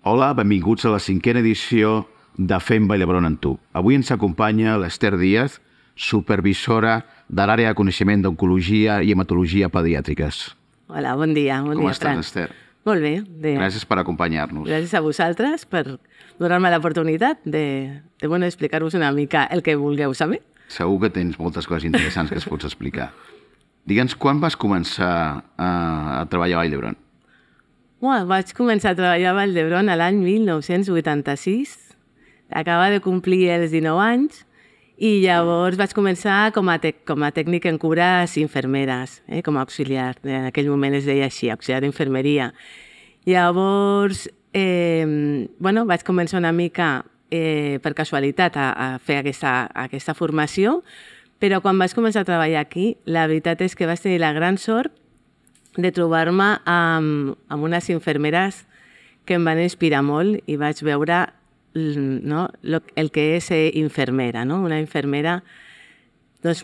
Hola, benvinguts a la 5a edició de Fem Vall d'Hebron en tu. Avui ens acompanya l'Ester Díaz, supervisora de l'àrea de coneixement d'oncologia i hematologia pediàtriques. Hola, bon dia. Com estàs,Ester? Molt bé. Gràcies per acompanyar-nos. Gràcies a vosaltres per donar-me l'oportunitat de explicar-vos una mica el que vulgueu saber. Segur que tens moltes coses interessants que es pots explicar. Digue'ns, quan vas començar a treballar a Vall d'Hebron? Vaig començar a treballar a Vall d'Hebron l'any 1986. Acaba de complir els 19 anys i llavors vaig començar com a tècnic en cures infermeres, com a auxiliar. En aquell moment es deia així, auxiliar d'infermeria. Llavors, vaig començar una mica per casualitat a fer aquesta formació, però quan vaig començar a treballar aquí, la veritat és que vaig tenir la gran sort de trobar-me amb unes infermeres que em van inspirar molt i vaig veure el que és ser infermera, una infermera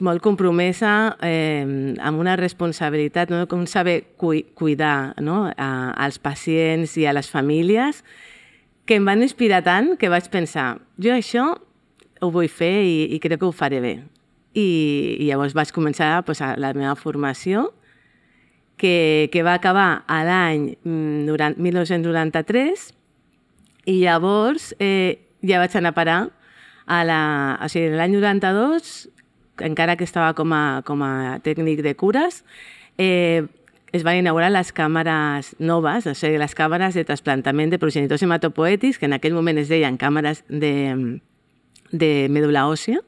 molt compromesa amb una responsabilitat, com saber cuidar als pacients i a les famílies, que em van inspirar tant que vaig pensar, jo això ho vull fer i crec que ho faré bé. I llavors vaig començar la meva formació, que va acabar l'any 1993, i llavors ja vaig anar a parar l'any 92, encara que estava com a tècnic de cures, es van inaugurar les càmeres noves, o sigui, les càmeres de trasplantament de progenitors hematopoètics, que en aquell moment es deien càmeres de medul·la òssia.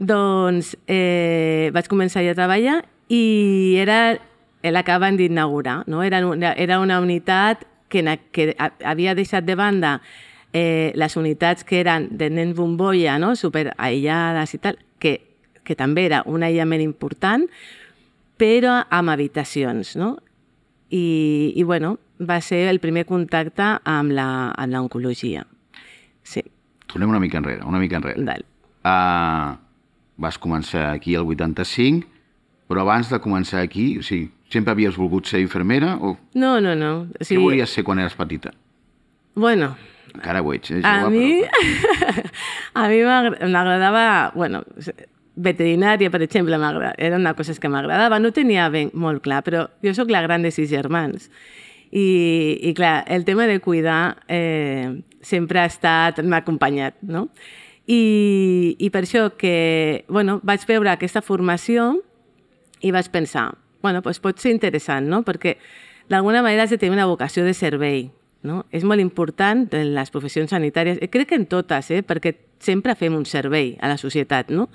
Doncs vaig començar a treballar i l'acaben d'inaugurar. Era una unitat que havia deixat de banda les unitats que eren de nens bombolla, super aïllades i tal, que també era un aïllament important, però amb habitacions. I va ser el primer contacte amb l'oncologia. Sí. Tornem una mica enrere. Dale. Vas començar aquí el 85, però abans de començar aquí, o sigui, sempre havies volgut ser infermera? No. Què volies ser quan eres petita? Bueno... Encara ho ets, A mi m'agradava... Veterinària, per exemple, era una cosa que m'agradava. No tenia molt clar, però jo sóc la gran de 6 germans. I clar, el tema de cuidar sempre m'ha acompanyat, no? I per això que vaig veure aquesta formació i vaig pensar, pot ser interessant, no? Perquè d'alguna manera has de tenir una vocació de servei, no? És molt important en les professions sanitàries, crec que en totes, perquè sempre fem un servei a la societat, no?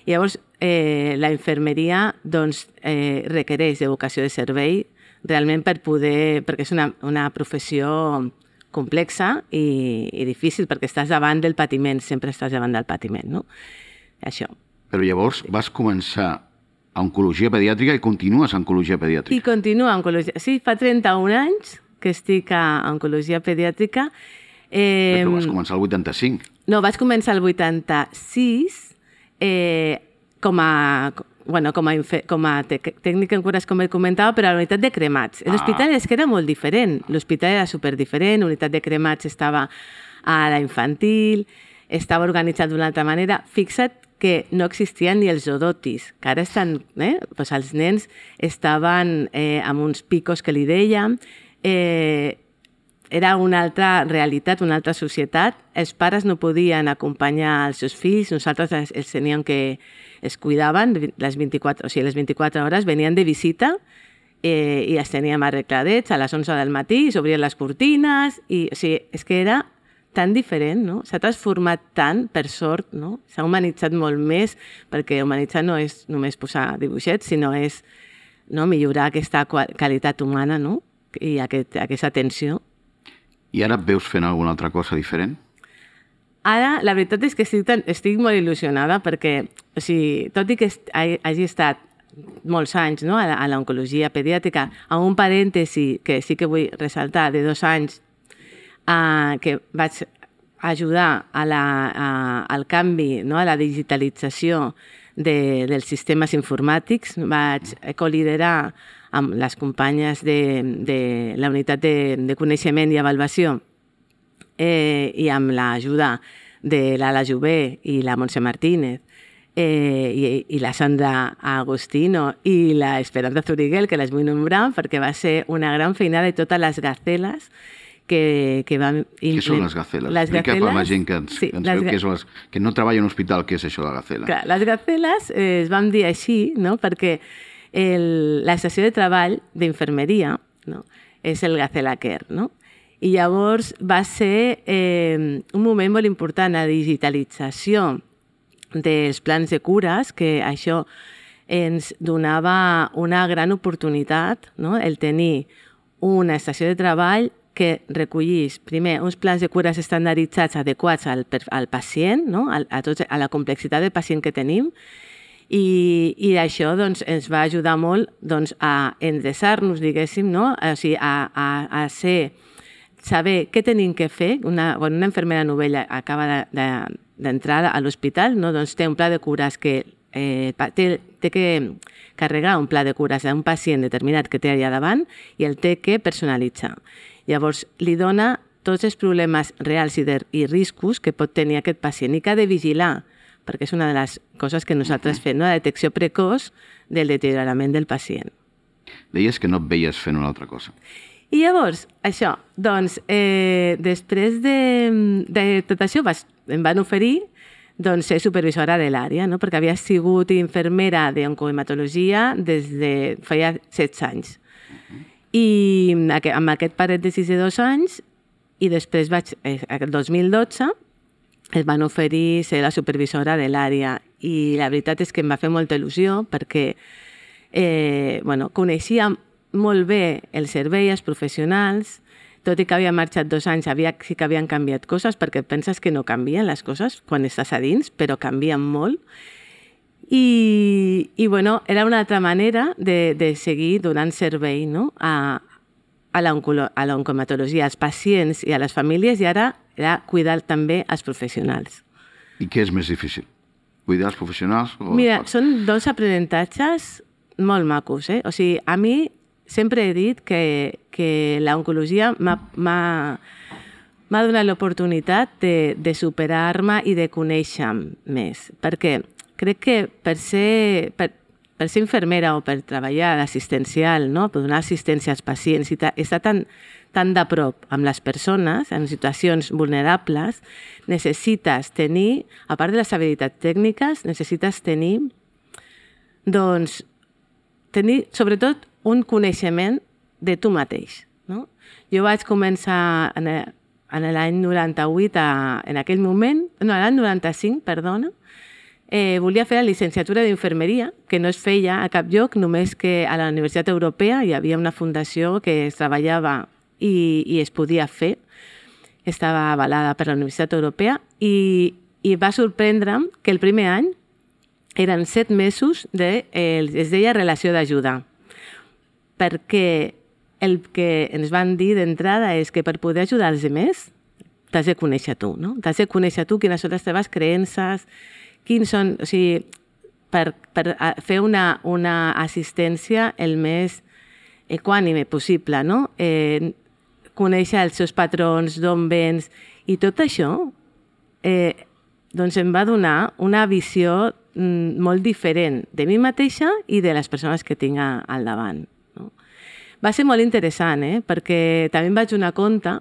I llavors la infermeria requereix de vocació de servei realment perquè és una professió complexa i difícil, perquè estàs davant del patiment, sempre estàs davant del patiment, no? Això. Però llavors vas començar a oncologia pediàtrica i continues a oncologia pediàtrica. I continuo a oncologia. Sí, fa 31 anys que estic a oncologia pediàtrica. Però vas començar el 85. No, vaig començar el 86 com a tècnica en cures, com he comentava, però a la unitat de cremats. L'hospital és que era molt diferent. L'hospital era superdiferent, la unitat de cremats estava a la infantil, estava organitzat d'una altra manera. Fixa't que no existien ni els odotis, que ara estan... Els nens estaven amb uns picos que li dèiem, era una altra realitat, una altra societat. Els pares no podien acompanyar els seus fills, nosaltres els teníem que... els cuidaven, les 24 hores venien de visita i els teníem arregladets a les 11 del matí, s'obrien les cortines, i o sigui, és que era tan diferent, no? S'ha transformat tant, per sort, no? S'ha humanitzat molt més, perquè humanitzar no és només posar dibuixets, sinó és millorar aquesta qualitat humana, no? I aquesta atenció. I ara et veus fent alguna altra cosa diferent? Ara, la veritat és que estic molt il·lusionada perquè, o sigui, tot i que hagi estat molts anys a l'oncologia pediàtrica, amb un parèntesi que sí que vull ressaltar, de 2 anys, que vaig ajudar al canvi, a la digitalització dels sistemes informàtics, vaig coliderar amb les companyes de la unitat de coneixement i avaluació i amb l'ajuda de l'Ala Jové i la Montse Martínez i la Sandra Agostino i la Esperanza Zuriguel, que les vull nombrar perquè va ser una gran feinada de totes les gaceles que van... Què són les gaceles? Explica per la gent que ens veu que no treballa en un hospital, què és això de la gacela? Clar, les gaceles es van dir així, no? Perquè l'estació de treball d'infermeria, no? És el Gacela Care, no? I llavors va ser un moment molt important, la digitalització dels plans de cures, que això ens donava una gran oportunitat, no? El tenir una estació de treball que recollís, primer, uns plans de cures estandarditzats adequats al pacient, no? a la complexitat del pacient que tenim, i això doncs, ens va ajudar molt doncs, a endreçar-nos, diguéssim, no? O sigui, a saber què tenim que fer. Una infermera novella acaba d'entrar a l'hospital, no? Doncs té un pla de cures que té que carregar un pla de cures d'un pacient determinat que té allà davant i el té que personalitzar. Llavors, li dona tots els problemes reals i riscos que pot tenir aquest pacient i que ha de vigilar, perquè és una de les coses que nosaltres fem, no? La detecció precoç del deteriorament del pacient. Deies que no et veies fent una altra cosa. I llavors, això, doncs, després de tot això em van oferir doncs, ser supervisora de l'àrea, no? Perquè havia sigut infermera d'oncohematologia des de feia 16 anys. I amb aquest parèntesis de 2 anys, i després el 2012, es van oferir ser la supervisora de l'àrea. I la veritat és que em va fer molta il·lusió perquè coneixia molt bé el servei, els professionals, tot i que havia marxat 2 anys, sí que havien canviat coses, perquè penses que no canvien les coses quan estàs a dins, però canvien molt. I era una altra manera de seguir donant servei, no? a l'oncohematologia, als pacients i a les famílies, i ara era cuidar també els professionals. I què és més difícil? Cuidar els professionals? Mira, són 2 aprenentatges molt macos. O sigui, a mi sempre he dit que l'oncologia m'ha donat l'oportunitat de superar-me i de conèixer més, perquè crec que per ser infermera o per treballar d'assistencial, no? Per donar assistència als pacients i estar tan de prop amb les persones en situacions vulnerables, necessites tenir, a part de les habilitats tècniques, necessites tenir sobretot un coneixement de tu mateix. No? Jo vaig començar en l'any 98, en aquell moment, l'any 95, perdona, volia fer la llicenciatura d'infermeria, que no es feia a cap lloc, només que a la Universitat Europea hi havia una fundació que es treballava i es podia fer, estava avalada per la Universitat Europea, i va sorprendre'm que el primer any eren 7 mesos es deia relació d'ajuda, perquè el que ens van dir d'entrada és que per poder ajudar els altres t'has de conèixer tu, no? T'has de conèixer tu quines són les teves creences, quins són, o sigui, per fer una assistència el més equànime possible, no? Conèixer els seus patrons, d'on vens, i tot això doncs em va donar una visió molt diferent de mi mateixa i de les persones que tinc al davant. No? Va ser molt interessant, perquè també em vaig donar compte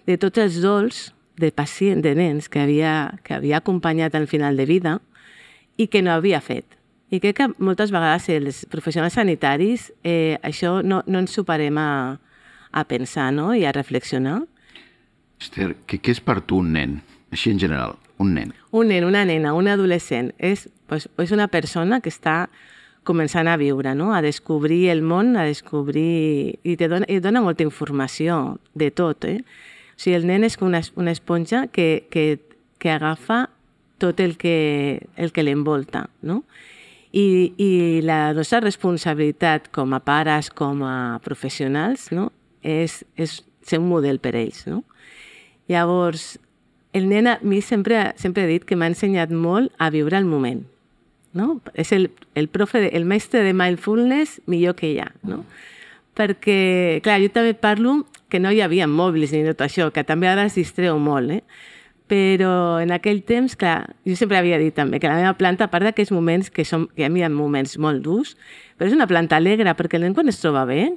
de tots els dols de pacients, de nens que havia acompanyat al final de vida i que no havia fet. I crec que moltes vegades els professionals sanitaris això no ens superem a pensar, no? I a reflexionar. Esther, què és per tu un nen? Així en general, un nen. Un nen, una nena, un adolescent. És una persona que està començant a viure, no? A descobrir el món, a descobrir... I dona molta informació de tot, O sigui, el nen és com una esponja que agafa tot el que l'envolta, no? I la nostra responsabilitat com a pares, com a professionals, no? És ser un model per ells, no? Llavors, el nen a mi sempre he dit que m'ha ensenyat molt a viure el moment, no? És el mestre de mindfulness millor que hi ha, no? perquè, clar, jo també parlo que no hi havia mòbils ni tot això, que també ara es distreu molt, però en aquell temps, clar, jo sempre havia dit també que la meva planta, a part d'aquests moments que hi havia moments molt durs, però és una planta alegre, perquè el nen quan es troba bé,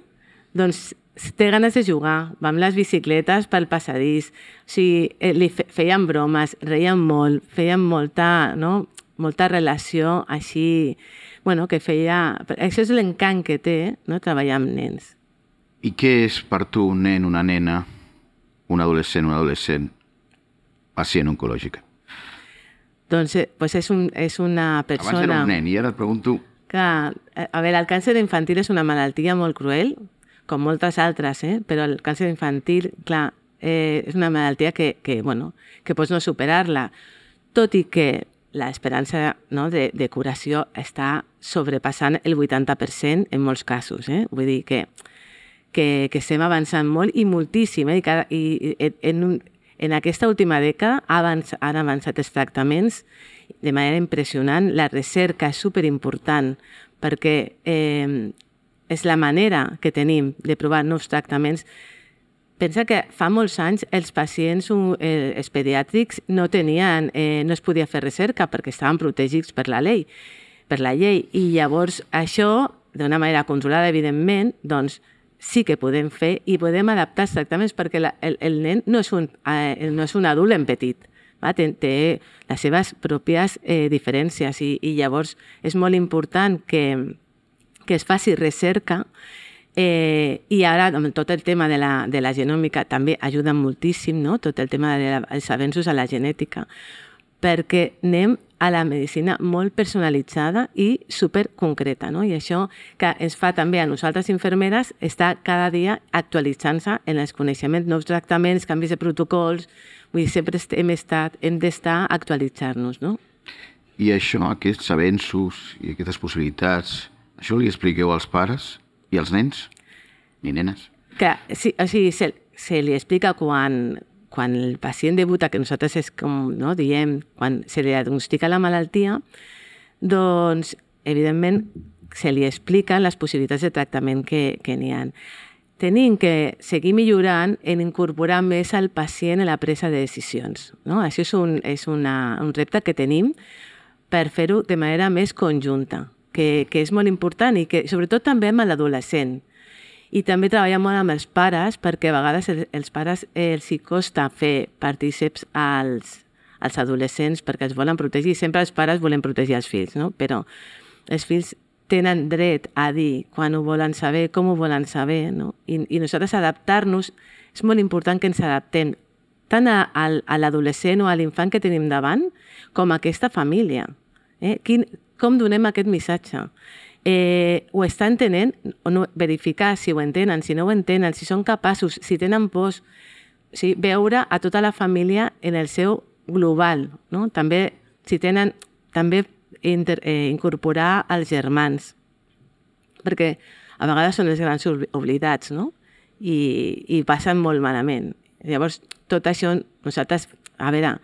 doncs té ganes de jugar, va amb les bicicletes pel passadís, o sigui, li feien bromes, reien molt, feien molta relació així, bueno, que feia... Això és l'encant que té, no?, treballar amb nens. I què és per tu un nen, una nena, un adolescent, pacient oncològica? Doncs és una persona... Abans era un nen i ara et pregunto... Que, a veure, el càncer infantil és una malaltia molt cruel, com moltes altres, però el càncer infantil, clar, és una malaltia que pots no superar-la, tot i que l'esperança de curació està sobrepassant el 80% en molts casos. Vull dir que estem avançant molt i moltíssim. I en aquesta última dècada han avançat els tractaments de manera impressionant. La recerca és superimportant perquè és la manera que tenim de provar nous tractaments. Pensa que fa molts anys els pacients els pediàtrics no es podia fer recerca perquè estaven protegits per la llei. I llavors això, d'una manera controlada, evidentment, doncs sí que podem fer i podem adaptar els tractaments perquè el nen no és un adult en petit. Té les seves pròpies diferències i llavors és molt important que es faci recerca. I ara tot el tema de la genòmica també ajuda moltíssim, no? Tot el tema dels avenços a la genètica, perquè anem a la medicina molt personalitzada i superconcreta, no? I això que ens fa també a nosaltres infermeres està cada dia actualitzant-se en els coneixements, nous tractaments, canvis de protocols, vull dir, sempre hem d'estar actualitzant-nos, no? I això, aquests avenços i aquestes possibilitats, això li expliqueu als pares i als nens i nenes? Sí, o sigui, se li explica quan el pacient debuta, que nosaltres és com diem, quan se li diagnostica la malaltia, doncs, evidentment, se li expliquen les possibilitats de tractament que n'hi ha. Tenim que seguir millorant en incorporar més al pacient en la presa de decisions. Això és un repte que tenim per fer-ho de manera més conjunta, que és molt important i que sobretot també amb l'adolescent. I també treballar molt amb els pares, perquè a vegades els pares els costa fer partícips als adolescents perquè els volen protegir. Sempre els pares volen protegir els fills, no? Però els fills tenen dret a dir quan ho volen saber, com ho volen saber, no? I nosaltres adaptar-nos, és molt important que ens adaptem tant a l'adolescent o a l'infant que tenim davant com a aquesta família. Com donem aquest missatge? Ho està entenent, o no, verificar si ho entenen, si no ho entenen, si són capaços, si tenen pors, veure a tota la família en el seu global, no? També, si tenen, també incorporar els germans, perquè a vegades són els grans oblidats, no? I passen molt malament. Llavors, tot això, nosaltres, a veure,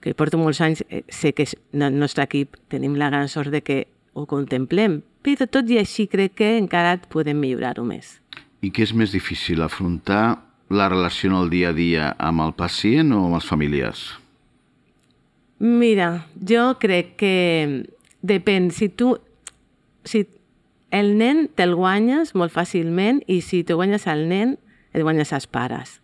que porto molts anys, sé que el nostre equip tenim la gran sort de que ho contemplem, però tot i així crec que encara podem millorar-ho més. I què és més difícil, afrontar la relació en el dia a dia amb el pacient o amb els familiars? Mira, jo crec que depèn. Si el nen te'l guanyes molt fàcilment i si te guanyes el nen, et guanyes els pares.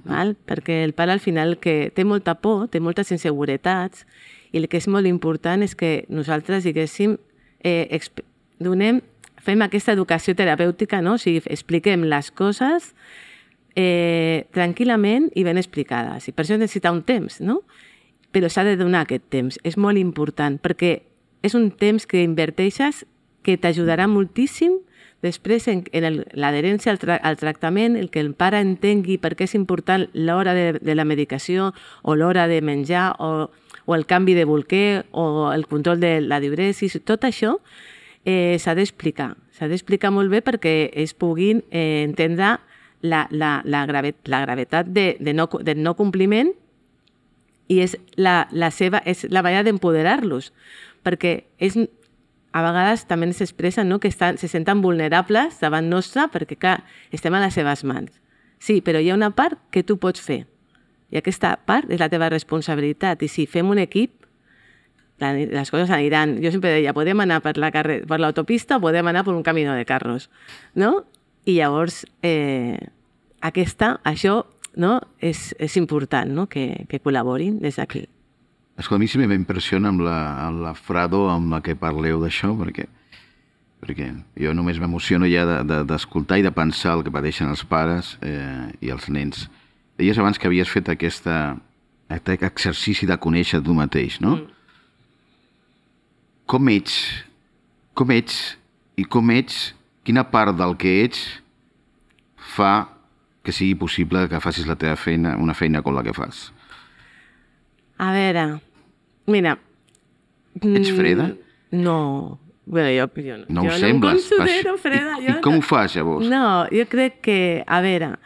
Perquè el pare al final que té molta por, té moltes inseguretats i el que és molt important és que nosaltres, diguéssim, fem aquesta educació terapèutica, no? O sigui, expliquem les coses tranquil·lament i ben explicades. I per això necessita un temps, no? Però s'ha de donar aquest temps. És molt important perquè és un temps que inverteixes que t'ajudarà moltíssim després en l'adherència al tractament, el que el pare entengui per què és important l'hora de la medicació o l'hora de menjar o el canvi de bolquer o el control de la diuresis. Tot això s'ha d'explicar. S'ha d'explicar molt bé perquè es puguin entendre la gravetat del no compliment i és la manera d'empoderar-los. Perquè a vegades també ens expressen, no?, que se senten vulnerables davant nostre perquè, clar, estem a les seves mans. Sí, però hi ha una part que tu pots fer. I aquesta part és la teva responsabilitat. I si fem un equip, les coses aniran. Jo sempre deia, podem anar per l'autopista o podem anar per un camí de carros, no? I llavors, això, no?, és important, no?, que col·laborin des d'aquí. Escolta, a mi sempre m'impressiona amb la Frado amb la que parleu d'això, perquè jo només m'emociono ja d'escoltar i de pensar el que pateixen els pares i els nens. Deies abans que havies fet aquest exercici de conèixer tu mateix, no? Com ets i com ets, quina part del que ets fa que sigui possible que facis la teva feina, una feina com la que fas? A veure, mira... Ets freda? No, bueno, jo no. No ho sembles. Jo no em considero freda. I com ho fas, llavors? No, jo crec que, a veure,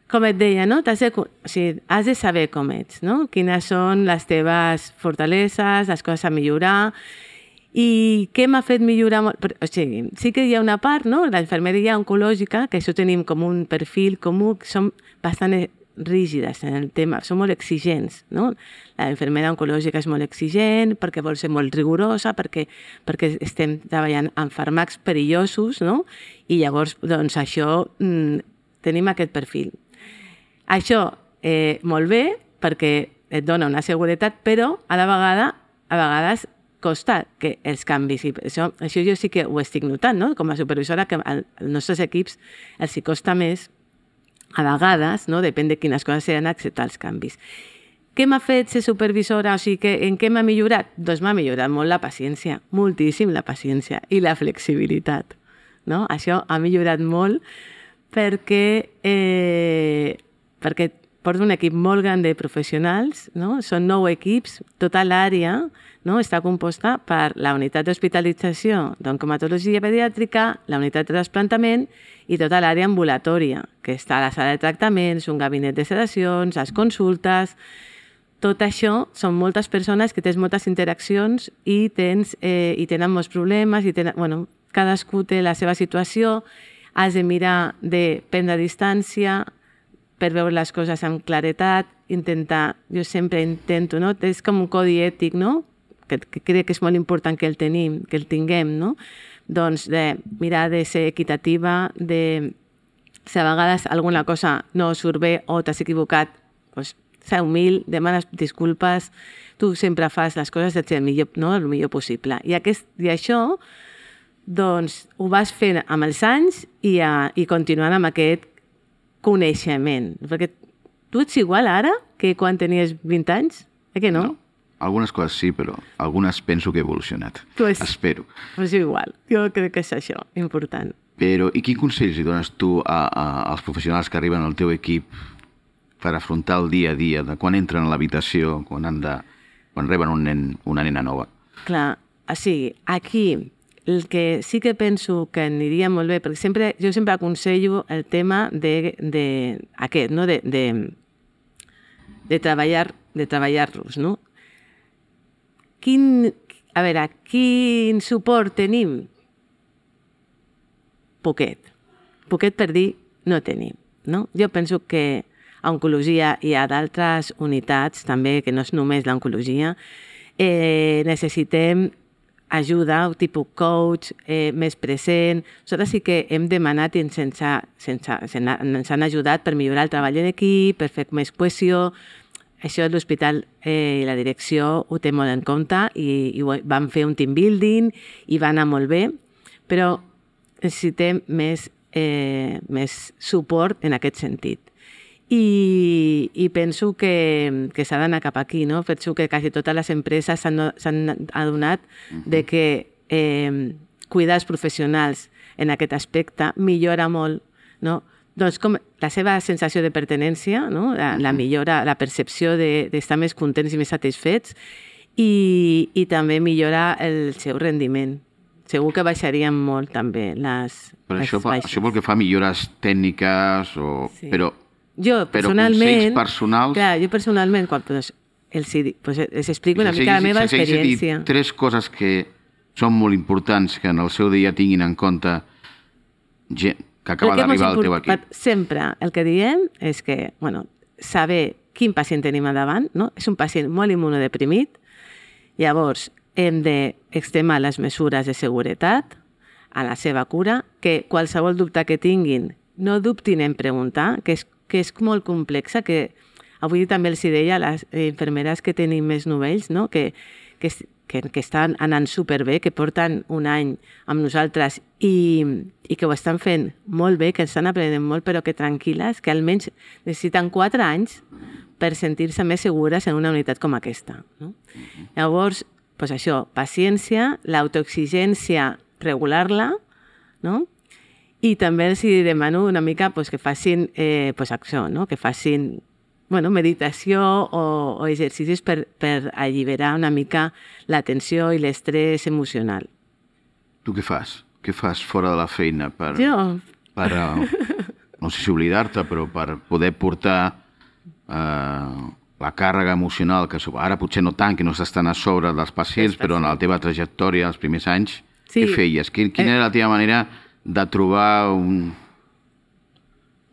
com et deia, no? Has de saber com ets, no? Quines són les teves fortaleses, les coses a millorar, i què m'ha fet millorar molt? O sigui, sí que hi ha una part, no?, la infermeria oncològica, que això tenim com un perfil comú, que som bastant rígides en el tema, som molt exigents, no? La infermera oncològica és molt exigent perquè vol ser molt rigorosa, perquè estem treballant amb fàrmacs perillosos, no? I llavors, doncs, això, tenim aquest perfil. Això, molt bé, perquè et dona una seguretat, però a vegades costa que els canvis. I això jo sí que ho estic notant, no?, com a supervisora, que als nostres equips els hi costa més, a vegades, no?, depèn de quines coses seran, acceptar els canvis. Què m'ha fet ser supervisora? O sigui, en què m'ha millorat? Doncs m'ha millorat molt la paciència, moltíssim la paciència i la flexibilitat, no? Això ha millorat molt perquè porto un equip molt gran de professionals, no? Són 9 equips, tota l'àrea, no?, està composta per la unitat d'hospitalització d'oncomatologia pediàtrica, la unitat de trasplantament i tota l'àrea ambulatòria, que està a la sala de tractaments, un gabinet de sedacions, les consultes. Tot això són moltes persones que tens moltes interaccions i tenen molts problemes, cadascú té la seva situació, has de mirar de prendre distància per veure les coses amb claretat, jo sempre intento, no?, és com un codi ètic, no?, que crec que és molt important que el tinguem, no?, doncs de mirar de ser equitativa, si a vegades alguna cosa no surt bé o t'has equivocat, doncs ser humil, demanes disculpes, tu sempre fas les coses el millor possible. I això, doncs, ho vas fent amb els anys i continuant amb aquest coneixement. Perquè tu ets igual ara que quan tenies 20 anys? Que no? No. Algunes coses sí, però algunes penso que he evolucionat. Espero. Pues igual. Jo crec que és això, important. Però, i quin consells li dones tu als professionals que arriben al teu equip per afrontar el dia a dia, de quan entren a l'habitació, quan reben una nena nova? Clar, o sigui, aquí el que sí que penso que aniria molt bé, perquè jo sempre aconsello el tema d'aquest, no?, de treballar-los, no? A veure, quin suport tenim? Poquet per dir no tenim, no? Jo penso que a oncologia hi ha d'altres unitats també, que no és només l'oncologia. Necessitem ajuda, tipus coach, més present. Nosaltres sí que hem demanat i ens han ajudat per millorar el treball en equip, per fer més cohesió. Això l'hospital i la direcció ho té molt en compte i van fer un team building i va anar molt bé, però necessitem més suport en aquest sentit. I penso que s'ha d'anar cap aquí, no? Penso que quasi totes les empreses s'han adonat de que cuidar els professionals en aquest aspecte millora molt, no? Doncs com la seva sensació de pertinença, no?, la millora, la percepció d'estar més contents i més satisfets i també millora el seu rendiment. Segur que baixarien molt també les baixes. Això vol que fa millores tècniques, però consells personals... Clar, jo personalment, quan els explico una mica la meva experiència. Sense dir 3 coses que són molt importants que en el seu dia tinguin en compte gent que acaba d'arribar al teu equip? Sempre el que diem és que, saber quin pacient tenim a davant, no? És un pacient molt immunodeprimit, llavors hem d'extremar les mesures de seguretat a la seva cura, que qualsevol dubte que tinguin no dubtin en preguntar, que és molt complexa, que avui també els deia a les infermeres que tenim més novells, no? que estan anant superbé, que porten un any amb nosaltres i que ho estan fent molt bé, que estan aprenent molt, però que tranquil·les, que almenys necessiten 4 anys per sentir-se més segures en una unitat com aquesta. No? Llavors, doncs això, paciència, l'autoexigència, regular-la, no? I també els demano una mica que facin acció, no? Que facin meditació o exercicis per alliberar una mica la tensió i l'estrès emocional. Tu què fas? Què fas fora de la feina? Jo? No sé si oblidar-te, però per poder portar la càrrega emocional, que ara potser no tant, que no estàs tan a sobre dels pacients, però en la teva trajectòria, els primers anys, què feies? Quina era la teva manera de trobar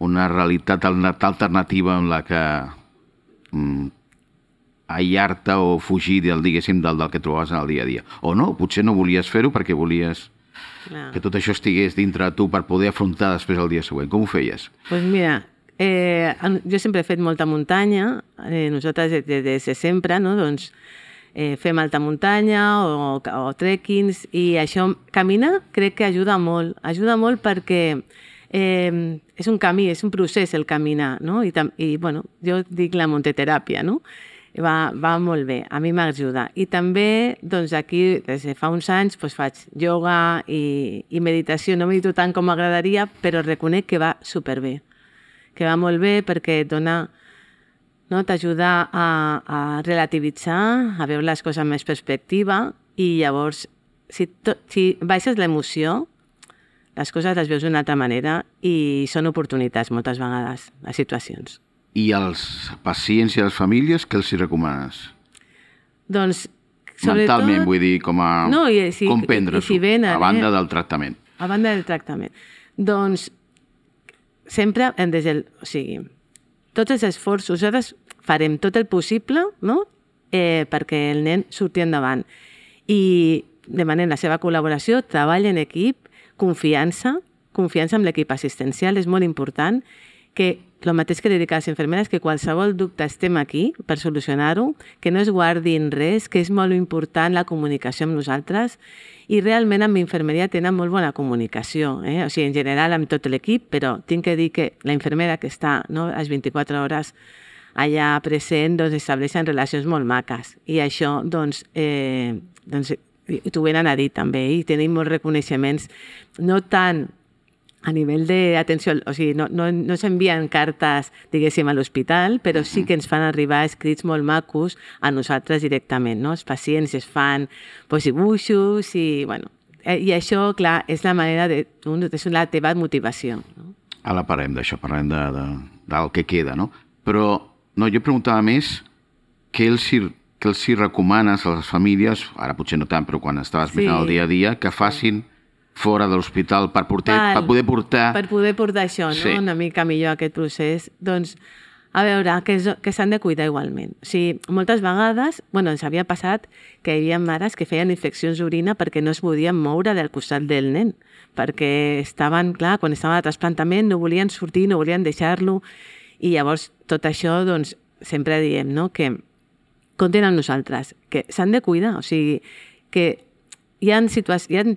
una realitat alternativa en la que aïllar-te o fugir del que trobaves en el dia a dia? O no, potser no volies fer-ho perquè volies que tot això estigués dintre de tu per poder afrontar després el dia següent. Com ho feies? Doncs mira, jo sempre he fet molta muntanya, nosaltres des de sempre, no? Doncs fem alta muntanya o trekkings, i això, caminar, crec que ajuda molt perquè és un camí, és un procés el caminar, no? I jo dic la monteteràpia, no? Va molt bé, a mi m'ajuda. I també, doncs aquí, des de fa uns anys, faig ioga i meditació. No medito tant com m'agradaria, però reconec que va superbé, que va molt bé perquè et dona, t'ajuda a relativitzar, a veure les coses amb més perspectiva, i llavors, si baixes l'emoció, les coses les veus d'una altra manera i són oportunitats moltes vegades, les situacions. I als pacients i a les famílies, què els hi recomanes? Doncs, sobretot... Mentalment, vull dir, com prendre-s'ho, a banda del tractament. A banda del tractament. Doncs, sempre tots els esforços, nosaltres farem tot el possible, no?, perquè el nen surti endavant. I demanem la seva col·laboració, treball en equip, confiança amb l'equip assistencial, és molt important, que el mateix que dedicar a les infermeres, que qualsevol dubte estem aquí per solucionar-ho, que no es guardin res, que és molt important la comunicació amb nosaltres, i realment amb infermeria tenen molt bona comunicació, o sigui, en general amb tot l'equip, però tinc que dir que la infermera que està les 24 hores allà present, doncs estableixen relacions molt maques, i això, doncs t'ho venen a dir també, i tenim molts reconeixements, no tant a nivell d'atenció, o sigui, no s'envien cartes, diguéssim, a l'hospital, però sí que ens fan arribar escrits molt macos a nosaltres directament, no? Els pacients es fan dibuixos i, i això, clar, és la manera és la teva motivació. Ara parlem d'això, parlem del que queda, no? Però, jo preguntava més què els hi recomanes a les famílies, ara potser no tant, però quan estaves mirant el dia a dia, que facin fora de l'hospital per poder portar... Per poder portar això, no? Una mica millor aquest procés. Doncs, a veure, que s'han de cuidar igualment. O sigui, moltes vegades, ens havia passat que hi havia mares que feien infeccions d'orina perquè no es podien moure del costat del nen, perquè estaven, clar, quan estaven a trasplantament no volien sortir, no volien deixar-lo, i llavors tot això, doncs, sempre diem, no?, que compten amb nosaltres, que s'han de cuidar, o sigui, que hi ha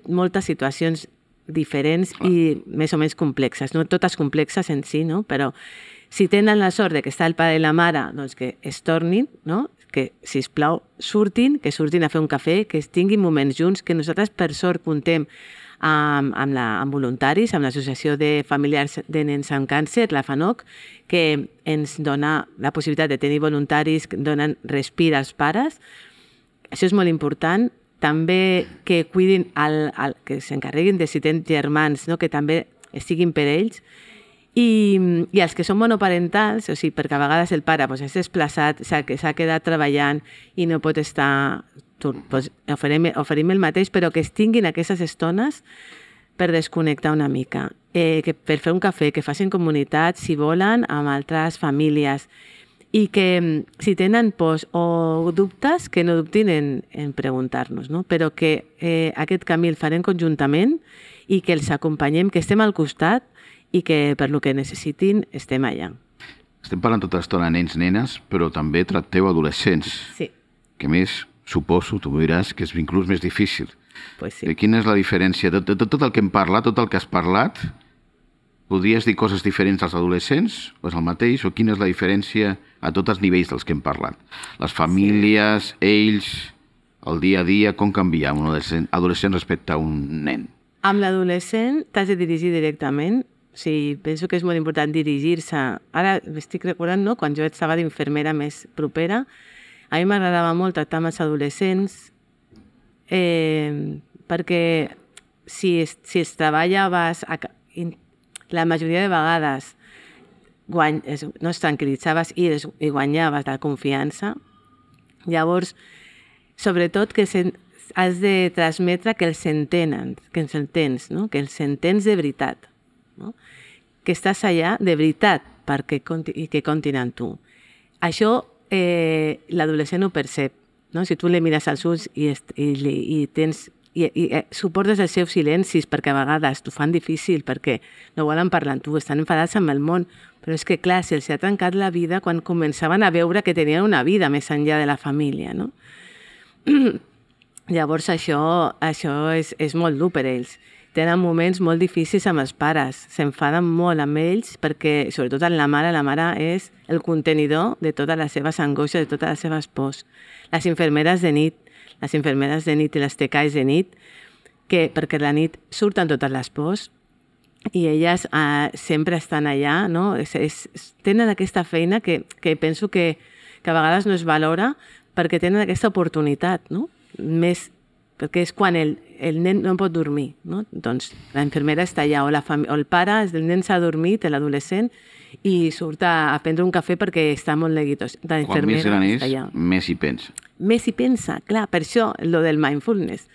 moltes situacions diferents i més o menys complexes, no totes complexes en si, no? Però si tenen la sort de que està el pare i la mare, doncs que es tornin, no? Que, sisplau, surtin a fer un cafè, que es tinguin moments junts, que nosaltres, per sort, comptem amb voluntaris, amb l'Associació de Familiars de Nens amb Càncer, la FANOC, que ens dona la possibilitat de tenir voluntaris que donen respir als pares. Això és molt important. També que cuidin, que s'encarreguin de si tenen germans, no? Que també estiguin per ells. I els que són monoparentals, o sigui, perquè a vegades el pare és desplaçat, s'ha quedat treballant i no pot estar oferim el mateix, però que es tinguin aquestes estones per desconnectar una mica, per fer un cafè, que facin comunitat, si volen, amb altres famílies, i que si tenen pors o dubtes, que no dubtin en preguntar-nos, no? Però que aquest camí el farem conjuntament i que els acompanyem, que estem al costat i que per lo que necessitin estem allà. Estem parlant tota l'estona de nens, nenes, però també tracteu adolescents. Sí. Que més, suposo, tu m'ho diràs, que és inclús més difícil. Pues sí. Quina és la diferència? De tot el que hem parlat, tot el que has parlat, podries dir coses diferents als adolescents? O és el mateix? O quina és la diferència a tots els nivells dels que hem parlat? Les famílies, ells, el dia a dia, com canvia un adolescent respecte a un nen? Amb l'adolescent t'has de dirigir directament. O sigui, penso que és molt important dirigir-se. Ara m'estic recordant, no?, quan jo estava d'infermera més propera, a mi m'agradava molt tractar amb els adolescents, perquè si es treballaves, la majoria de vegades no es tranquil·litzaves i guanyaves la confiança. Llavors, sobretot que has de transmetre que els entenen, que els entens, no? Que els entens de veritat, no? Que estàs allà de veritat i que comptin amb tu. Això l'adolescent ho percep, no? Si tu li mires als ulls i suportes els seus silencis, perquè a vegades t'ho fan difícil, perquè no volen parlar amb tu, estan enfadats amb el món, però és que clar, se'ls ha trencat la vida quan començaven a veure que tenien una vida més enllà de la família, no? Llavors això és molt dur per ells. Tenen moments molt difícils amb els pares, s'enfaden molt amb ells perquè, sobretot amb la mare és el contenidor de totes les seves angoixes, de totes les seves pors. Les infermeres de nit i les tecais de nit, perquè la nit surten totes les pors i elles sempre estan allà, no? Tenen aquesta feina que penso que a vegades no es valora perquè tenen aquesta oportunitat, no? Més perquè és quan el nen no pot dormir, no? Doncs la infermera està allà, o el pare, el nen s'ha dormit, l'adolescent, i surt a prendre un cafè perquè està molt neguitós. Quan més gran és, més hi pensa. Més hi pensa, clar, per això, lo del mindfulness,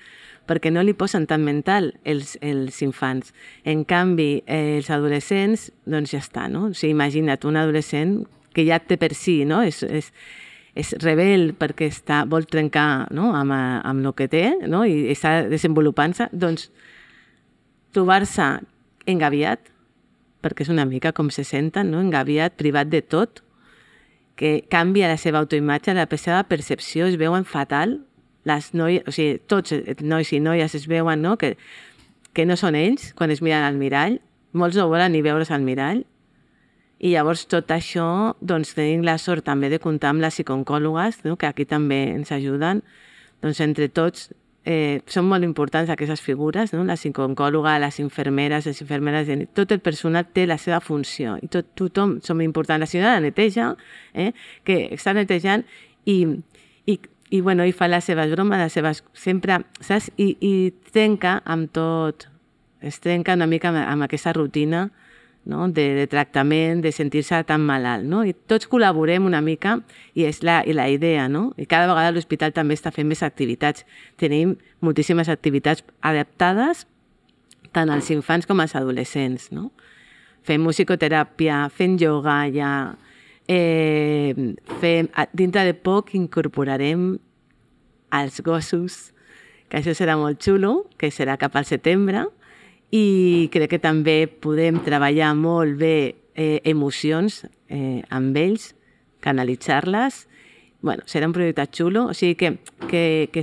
perquè no li posen tan mental els infants. En canvi, els adolescents, doncs ja està, no? O sigui, imagina't un adolescent que ja té per si, no? És rebel perquè vol trencar, no?, amb el que té, no?, i està desenvolupant-se, doncs trobar-se engaviat, perquè és una mica com se senten, no?, engaviat, privat de tot, que canvia la seva autoimatge, la seva percepció, es veuen fatal, les noies, o sigui, tots nois i noies es veuen, no?, que no són ells quan es miren al mirall, molts no volen ni veure's al mirall. I llavors tot això, doncs tenim la sort també de comptar amb les psicooncòlogues, no?, que aquí també ens ajuden. Doncs entre tots són molt importants aquestes figures, no?, la psicooncòloga, les infermeres de nit, tot el personal té la seva funció i tothom som importants. La senyora de neteja, que està netejant i fa les seves bromes, sempre, saps? I trenca amb tot, es trenca una mica amb aquesta rutina, no?, de tractament, de sentir-se tan malalt, no? I tots col·laborem una mica i és la idea, no? I cada vegada l'hospital també està fent més activitats. Tenim moltíssimes activitats adaptades tant als infants com als adolescents, no? Fem musicoteràpia, fem ioga ja, dintre de poc incorporarem els gossos, que això serà molt xulo, que serà cap al setembre, i crec que també podem treballar molt bé emocions amb ells, canalitzar-les. Bueno, serà un projecte xulo, o sigui que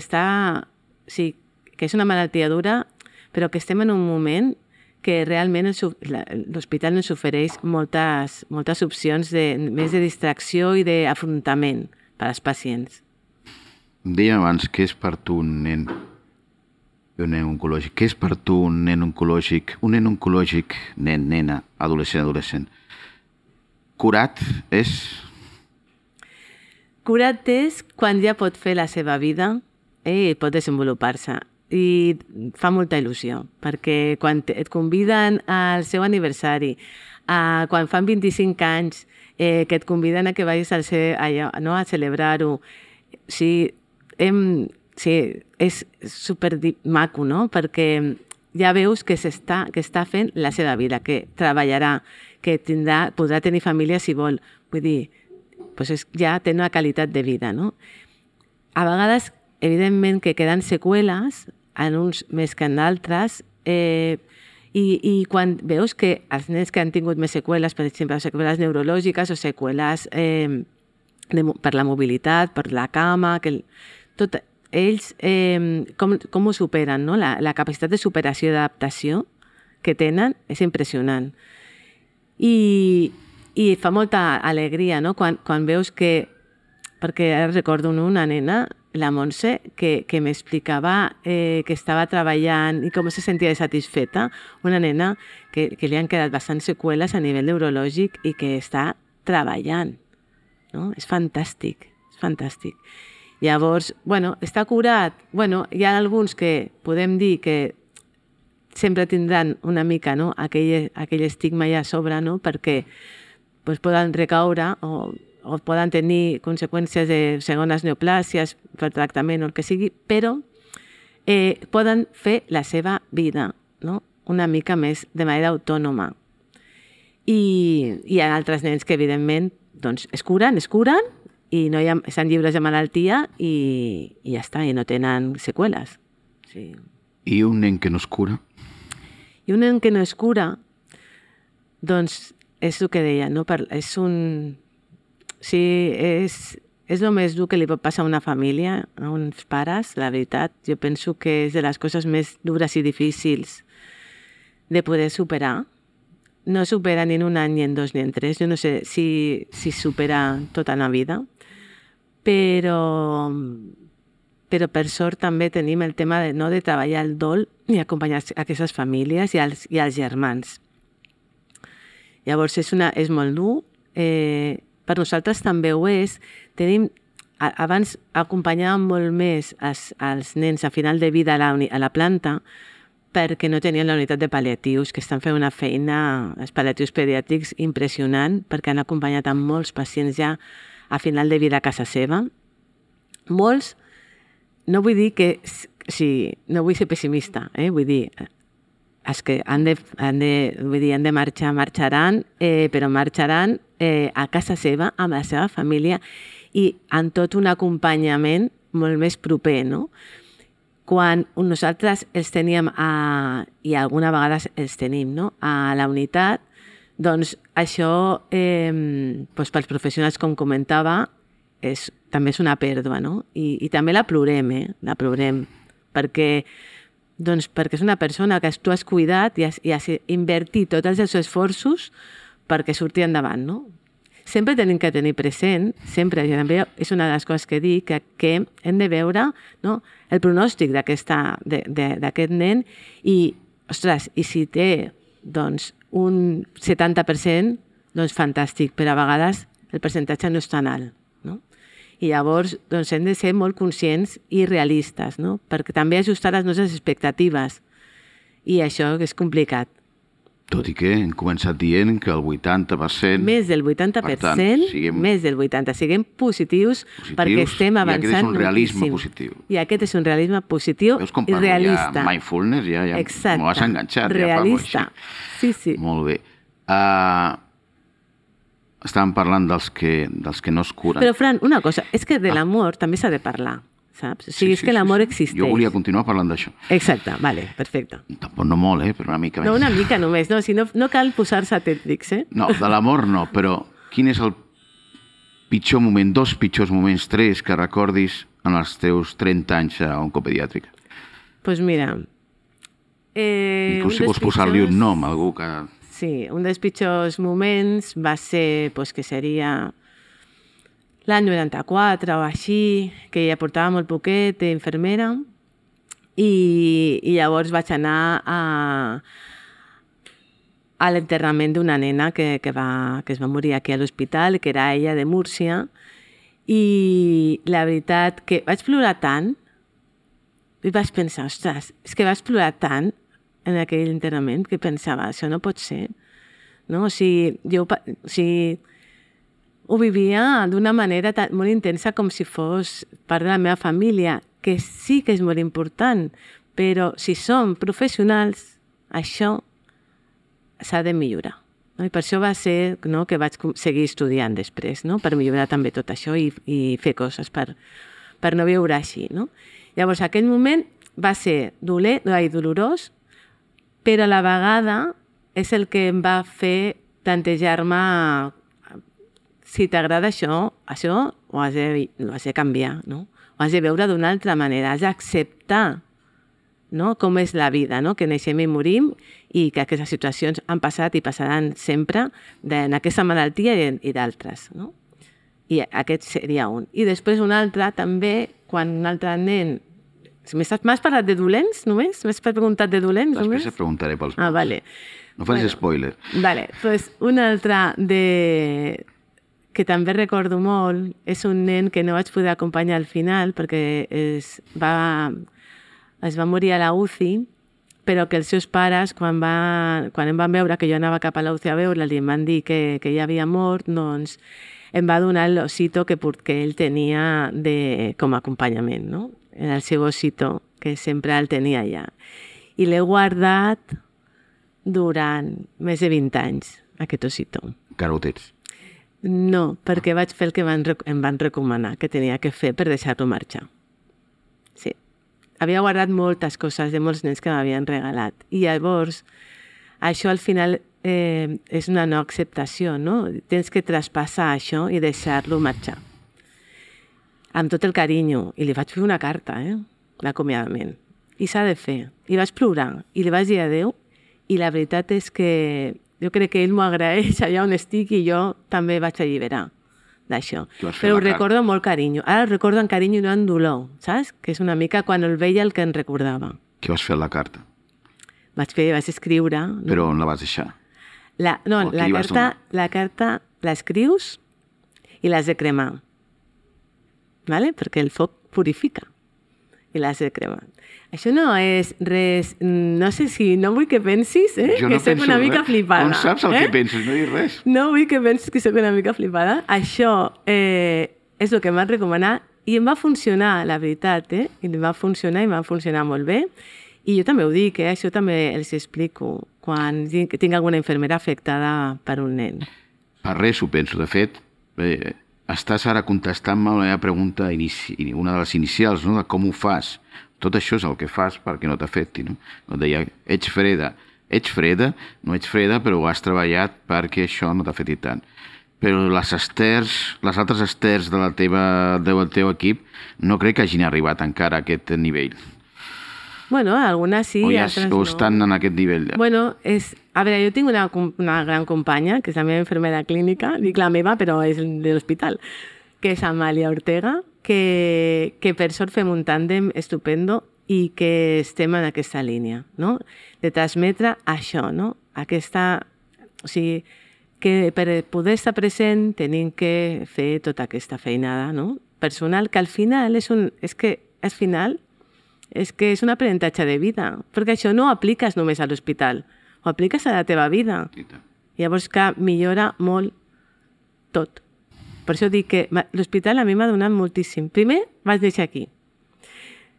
és una malaltia dura, però que estem en un moment que realment l'hospital ens ofereix moltes opcions més de distracció i d'afrontament per als pacients. Deia abans, què és per tu un nen oncològic? Què és per tu un nen oncològic? Un nen oncològic, nen, nena, adolescent. Curat és? Curat és quan ja pot fer la seva vida i pot desenvolupar-se. I fa molta il·lusió, perquè quan et conviden al seu aniversari, quan fan 25 anys, que et conviden a que vagis a celebrar-ho, sí, sí, és super maco, no? Perquè ja veus que està fent la seva vida, que treballarà, que podrà tenir família si vol. Vull dir, doncs ja té una qualitat de vida, no? A vegades, evidentment, que queden seqüeles, en uns més que en altres, i quan veus que els nens que han tingut més seqüeles, per exemple, seqüeles neurològiques o seqüeles per la mobilitat, per la cama, ells com ho superen, no? La capacitat de superació i d'adaptació que tenen és impressionant. I fa molta alegria, no? Quan veus que... Perquè ara recordo una nena, la Montse, que m'explicava que estava treballant i com se sentia satisfeta. Una nena que li han quedat bastants seqüeles a nivell neurològic i que està treballant. No? És fantàstic, és fantàstic. Llavors, està curat. Hi ha alguns que podem dir que sempre tindran una mica, no? aquell estigma ja a sobre, no? Perquè poden recaure o poden tenir conseqüències de segones neoplàsies per tractament o el que sigui, però poden fer la seva vida, no? Una mica més de manera autònoma. I hi ha altres nens que, evidentment, doncs, es curen i no estan lliures de malaltia i ja està, i no tenen seqüeles. Sí. I un nen que no es cura? I un nen que no es cura, doncs, és el que deia, no? És un... Sí, és el més dur que li pot passar a una família, a uns pares, la veritat. Jo penso que és de les coses més dures i difícils de poder superar. No supera ni en un any, ni en 2, ni en 3. Jo no sé si supera tota la vida. Però per sort també tenim el tema de treballar el dol i acompanyar aquestes famílies i als germans. Llavors és molt dur. Per nosaltres també ho és. Abans acompanyàvem molt més els nens a final de vida a la planta perquè no tenien la unitat de pal·liatius, que estan fent una feina, els pal·liatius pediàtrics, impressionant, perquè han acompanyat a molts pacients ja a final de vida a casa seva. Molts, no vull dir que... Sí, no vull ser pessimista, vull dir... Els que han de marxar, marxaran, però marxaran a casa seva, amb la seva família i amb tot un acompanyament molt més proper, no? Quan nosaltres els teníem, i alguna vegada els tenim, no? A la unitat, doncs això, pels professionals, com comentava, també és una pèrdua, no? I també la plorem, la plorem, perquè és una persona que tu has cuidat i has invertit tots els seus esforços perquè surti endavant, no? Sempre tenim que tenir present, sempre, i també és una de les coses que dic, que hem de veure, no, el pronòstic d'aquest nen i, ostres, i si té doncs, un 70%, doncs fantàstic, però a vegades el percentatge no és tan alt. I llavors doncs, hem de ser molt conscients i realistes, no? Perquè també ajustar les nostres expectatives. I això és complicat. Tot i que hem començat dient que el 80%... Més del 80%, més del 80%. Siguem positius perquè estem avançant moltíssim. I aquest és un realisme positiu. I aquest és un realisme positiu i realista. Veus com parlo ja mindfulness? Ja m'ho has enganxat. Realista. Sí, sí. Molt bé. Estàvem parlant dels que no es curen. Però, Fran, una cosa, és que de l'amor també s'ha de parlar, saps? O sigui, és que l'amor existeix. Jo volia continuar parlant d'això. Exacte, vale, perfecte. Tampoc no molt, però una mica més. No, una mica només, no, si no cal posar-se tècnics, No, de l'amor no, però quin és el pitjor moment, 2 pitjors moments, 3, que recordis en els teus 30 anys a oncopediàtrica? Doncs mira... Inclús si vols posar-li un nom, algú que... Sí, un dels pitjors moments va ser, que seria l'any 94 o així, que ja portava molt poquet d'infermera, i llavors vaig anar a l'enterrament d'una nena que es va morir aquí a l'hospital, que era ella de Múrcia, i la veritat que vaig plorar tant, i vaig pensar, ostres, és que vaig plorar tant en aquell enterrament que pensava, això no pot ser. No? O sigui, ho vivia d'una manera molt intensa com si fos part de la meva família, que sí que és molt important, però si som professionals, això s'ha de millorar. No? I per això va ser que vaig seguir estudiant després, no? Per millorar també tot això i fer coses per no viure així. No? Llavors, aquell moment va ser dolorós, però a la vegada és el que em va fer plantejar-me si t'agrada això ho has de canviar, no? Ho has de veure d'una altra manera, has d'acceptar, no? Com és la vida, no? Que neixem i morim i que aquestes situacions han passat i passaran sempre en aquesta malaltia i d'altres. No? I aquest seria un. I després un altre també, quan un altre nen... M'has parlat de dolents només? M'has preguntat de dolents només? Després et preguntaré pels Ah, vale. No facis spoiler. Vale, doncs un altre que també recordo molt és un nen que no vaig poder acompanyar al final perquè es va morir a la UCI, però que els seus pares, quan em van veure que jo anava cap a la UCI a veure-la i em van dir que ja havia mort, doncs em va donar l'osito que ell tenia com a acompanyament, no? Era el seu osito, que sempre el tenia allà. I l'he guardat durant més de 20 anys, aquest osito. Encara ho tens? No, perquè vaig fer el que em van recomanar que tenia que fer per deixar-lo marxar. Sí. Havia guardat moltes coses de molts nens que m'havien regalat. I llavors, això al final és una no acceptació, no? Tens que traspassar això i deixar-lo marxar. Amb tot el carinyo. I li vaig fer una carta, l'acomiadament. I s'ha de fer. I vaig plorar. I li vaig dir adéu. I la veritat és que jo crec que ell m'ho agraeix allà on estic i jo també vaig alliberar d'això. Però ho recordo amb molt carinyo. Ara ho recordo amb carinyo i no amb dolor, saps? Que és una mica quan el veia el que em recordava. Què vas fer a la carta? Vaig escriure... No? Però on la vas deixar? La carta l'escrius i l'has de cremar. ¿Vale? Perquè el foc purifica i l'has de cremar. Això no és res... No sé si... No vull que pensis, Jo que soc una mica flipada. Com saps el que penses? No dius res. No vull que pensis que soc una mica flipada. Això és el que m'han recomanat i em va funcionar, la veritat, I em va funcionar molt bé. I jo també ho dic, això també els explico quan tinc alguna infermera afectada per un nen. Per res ho penso. De fet, estàs ara contestant-me la meva pregunta, una de les inicials, no? De com ho fas. Tot això és el que fas perquè no t'afecti, no? Et deia, ets freda. Ets freda, no ets freda, però ho has treballat perquè això no t'afecti tant. Però les altres esters del teu equip no crec que hagin arribat encara a aquest nivell. Bueno, algunes sí, altres no. O estan en aquest nivell. Bueno, a veure, jo tinc una gran companya, que és la meva infermera clínica, dic la meva, però és de l'hospital, que és Amàlia Ortega, que per sort fem un tàndem estupendo i que estem en aquesta línia, no? De transmetre això, no? O sigui, que per poder estar present tenim que fer tota aquesta feinada, no? Personal, que al final és és un aprenentatge de vida, perquè això no ho apliques només a l'hospital, ho apliques a la teva vida. Llavors que millora molt tot. Per això dic que l'hospital a mi m'ha donat moltíssim. Primer vaig néixer aquí.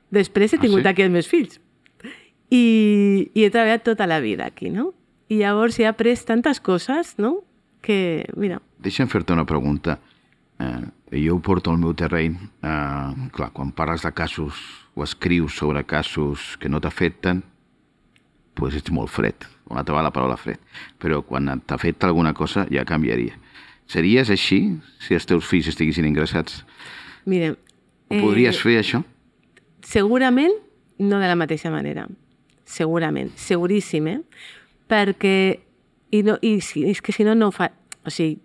Després he tingut aquí els meus fills. I he treballat tota la vida aquí, no? I llavors he après tantes coses, no? Que, mira... Deixa'm fer-te una pregunta. Jo ho porto al meu terreny. Clar, quan parles de casos o escrius sobre casos que no t'afecten, doncs ets molt fred. Una altra va la paraula fred. Però quan t'afecta alguna cosa ja canviaria. Series així si els teus fills estiguessin ingressats? Mira... Ho podries fer, això? Segurament no de la mateixa manera. Segurament. Seguríssim, Perquè... és que si no, no ho fa... O sigui,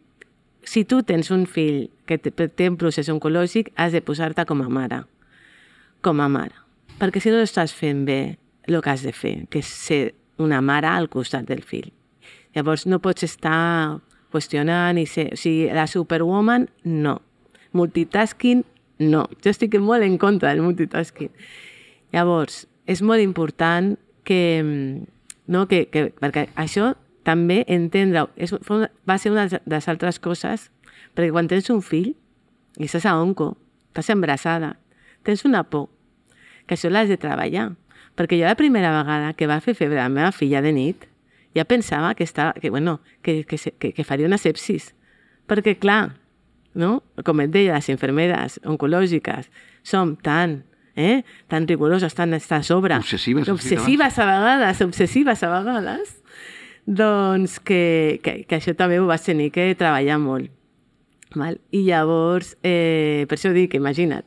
si tu tens un fill que té un procés oncològic, has de posar-te com a mare. Com a mare. Perquè si no estàs fent bé el que has de fer, que és ser una mare al costat del fill. Llavors no pots estar qüestionant i ser... O sigui, la superwoman, no. Multitasking, no. Jo estic molt en contra del multitasking. Llavors, és molt important perquè això també entendre... Va ser una de les altres coses, perquè quan tens un fill i estàs a onco, estàs embarassada, tens una por. que això l'has de treballar. Perquè jo la primera vegada que va fer febre la meva filla de nit ja pensava que faria una sepsis. Perquè, clar, no? Com et deia, les infermeres oncològiques som tan rigoroses, tan a sobre. Obsessives a vegades, doncs que això també ho vas tenir que treballar molt. Val? I llavors, per això dic, imagina't,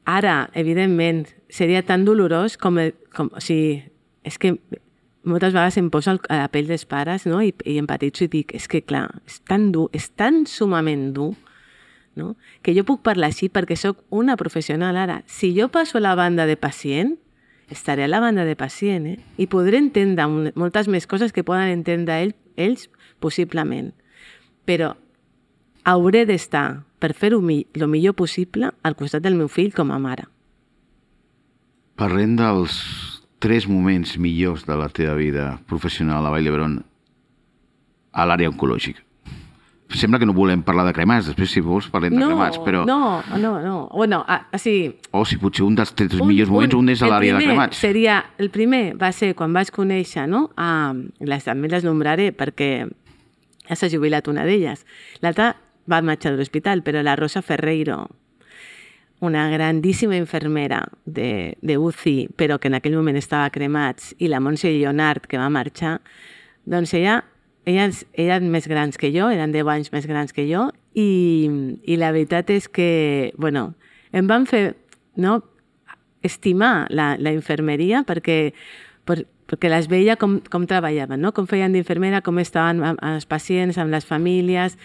ara, evidentment, seria tan dolorós com o sigui, és que moltes vegades em poso a la pell dels pares, no? I empatitzo i dic, és que clar, és tan dur, és tan sumament dur, no? Que jo puc parlar així perquè sóc una professional ara. Si jo passo a la banda de pacient, estaré a la banda de pacient, i podré entendre moltes més coses que poden entendre ells possiblement. Però hauré d'estar, per fer-ho el millor possible, al costat del meu fill com a mare. Parlem dels 3 moments millors de la teva vida professional a Vall d'Hebron a l'àrea oncològica. Sembla que no volem parlar de cremats, després si vols parlem de cremats, però... No. Bueno, sí. O si potser un dels 3 millors moments, un és a l'àrea de cremats. El primer va ser quan vaig conèixer, no? També les nombraré perquè ja s'ha jubilat una d'elles. L'altra va marxar de l'hospital, però la Rosa Ferreiro, una grandíssima infermera de UCI, però que en aquell moment estava a cremats, i la Montse Lleonard, que va marxar, doncs elles eren més grans que jo, eren 10 anys més grans que jo, i la veritat és que, bueno, em van fer estimar la infermeria perquè les veia com treballaven, no? Com feien d'infermera, com estaven amb els pacients, amb les famílies,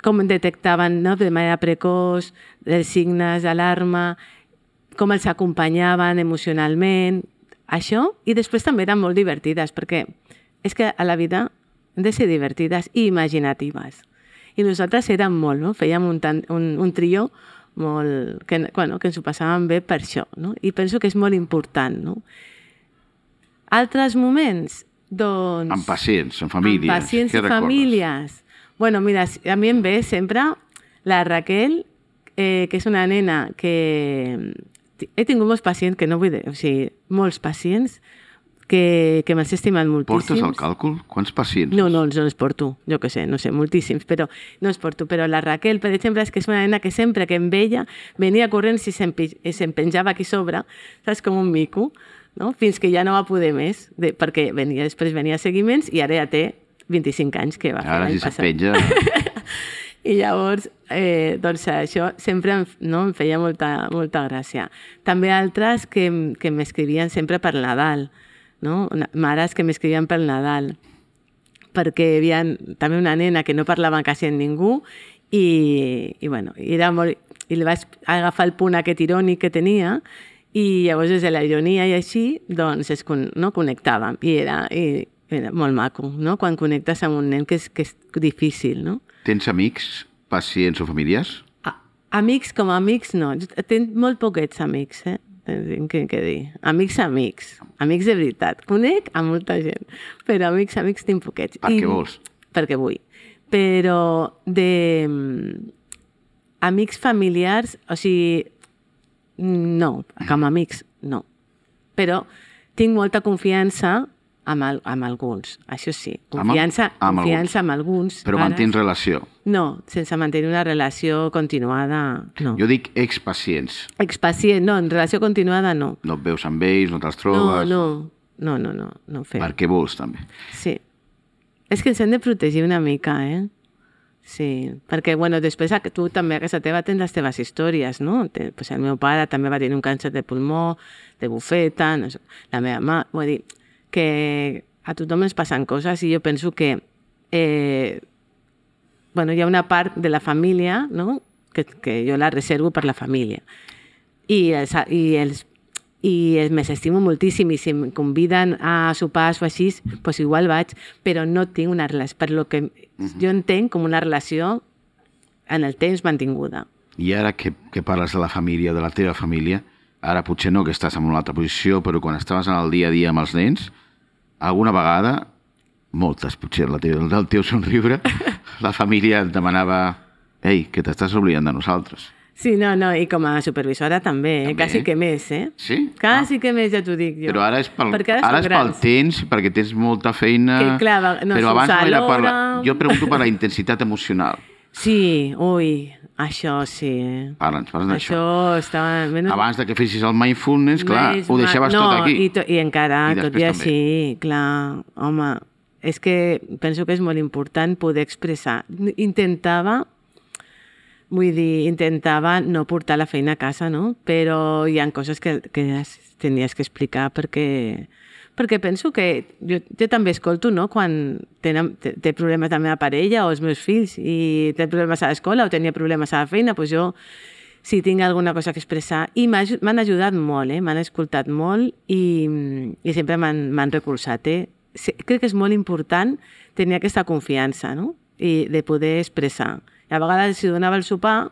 com detectaven de manera precoç els signes d'alarma, com els acompanyaven emocionalment, això, i després també eren molt divertides, perquè és que a la vida hem de ser divertides i imaginatives. I nosaltres érem molt, no? Fèiem un trio molt, que ens ho passàvem bé per això, no? I penso que és molt important, no? Altres moments, doncs... Amb pacients, amb famílies. Amb pacients i famílies. Bueno, mira, a mi em ve sempre la Raquel, que és una nena que... He tingut molts pacients que no vull dir... O sigui, molts pacients que m'has estimat moltíssims. Portes el càlcul? Quants pacients? No els porto, jo què sé, no sé, moltíssims, però no els porto. Però la Raquel, per exemple, és que és una nena que sempre que em veia venia corrent i se'm penjava aquí sobre, saps, com un mico, no? Fins que ja no va poder més, perquè després venia seguiments i ara ja té 25 anys que va fer l'any passat. Ara si se't penja... I llavors, doncs això sempre em feia molta gràcia. També altres que m'escrivien sempre per Nadal, no? Mares que m'escrivien pel Nadal, perquè hi havia també una nena que no parlava quasi amb ningú i li vaig agafar el punt aquest irònic que tenia i llavors des de la ironia i així doncs connectàvem i era molt maco, no? Quan connectes amb un nen que és difícil, no? Tens amics, pacients o familiars? Amics com a amics no, tinc molt poquets amics, tinc que dir. Amics de veritat. Conec a molta gent, però amics tinc poquets. Per què vols? Perquè vull. Però amics familiars, o sigui, no, com a amics, no. Però tinc molta confiança amb alguns, això sí. Confiança amb alguns. Però mantens relació? No, sense mantenir una relació continuada, no. Jo dic expacients. Expacient, no, en relació continuada no. No et veus amb ells, no te'ls trobes? No fem. Per què vols, també? Sí. És que ens hem de protegir una mica, Sí, perquè, després tu també a casa teva tens les teves històries, no? Pues el meu pare també va tenir un càncer de pulmó, de bufeta, no sé, la meva mare, vull dir, que a tothom ens passen coses i jo penso que hi ha una part de la família, no? que jo la reservo per la família. I m'estimo moltíssim i si em conviden a sopars o així, doncs igual vaig, però no tinc una relació, per lo que jo entenc com una relació en el temps mantinguda. I ara que parles de la família, de la teva família, ara potser no que estàs en una altra posició, però quan estaves en el dia a dia amb els nens, alguna vegada, moltes potser del teu somriure, la família et demanava «Ei, que t'estàs oblidant de nosaltres». Sí, no, i com a supervisora també, També? quasi que més, Sí? Quasi que més, ja t'ho dic jo. Però ara és pel, Perquè ara són és pel grans. temps, perquè tens molta feina... Que, clar, no però abans surts no era per la... alhora. Jo pregunto per la intensitat emocional. Sí, ui, això sí. Parla'ns d'això. Això estava... Abans de que fessis el mindfulness, clar, ho deixaves tot aquí. I encara, I tot després i també. així, clar, home, és que penso que és molt important poder expressar. Intentava no portar la feina a casa, no? Però hi ha coses que tenies que explicar perquè penso que jo també escolto, no?, quan té problemes la meva parella o els meus fills i té problemes a l'escola o tenia problemes a la feina, doncs jo, si tinc alguna cosa que expressar, i m'han ajudat molt, m'han escoltat molt i sempre m'han recolzat. Crec que és molt important tenir aquesta confiança, no?, i de poder expressar. I a vegades si donava el sopar,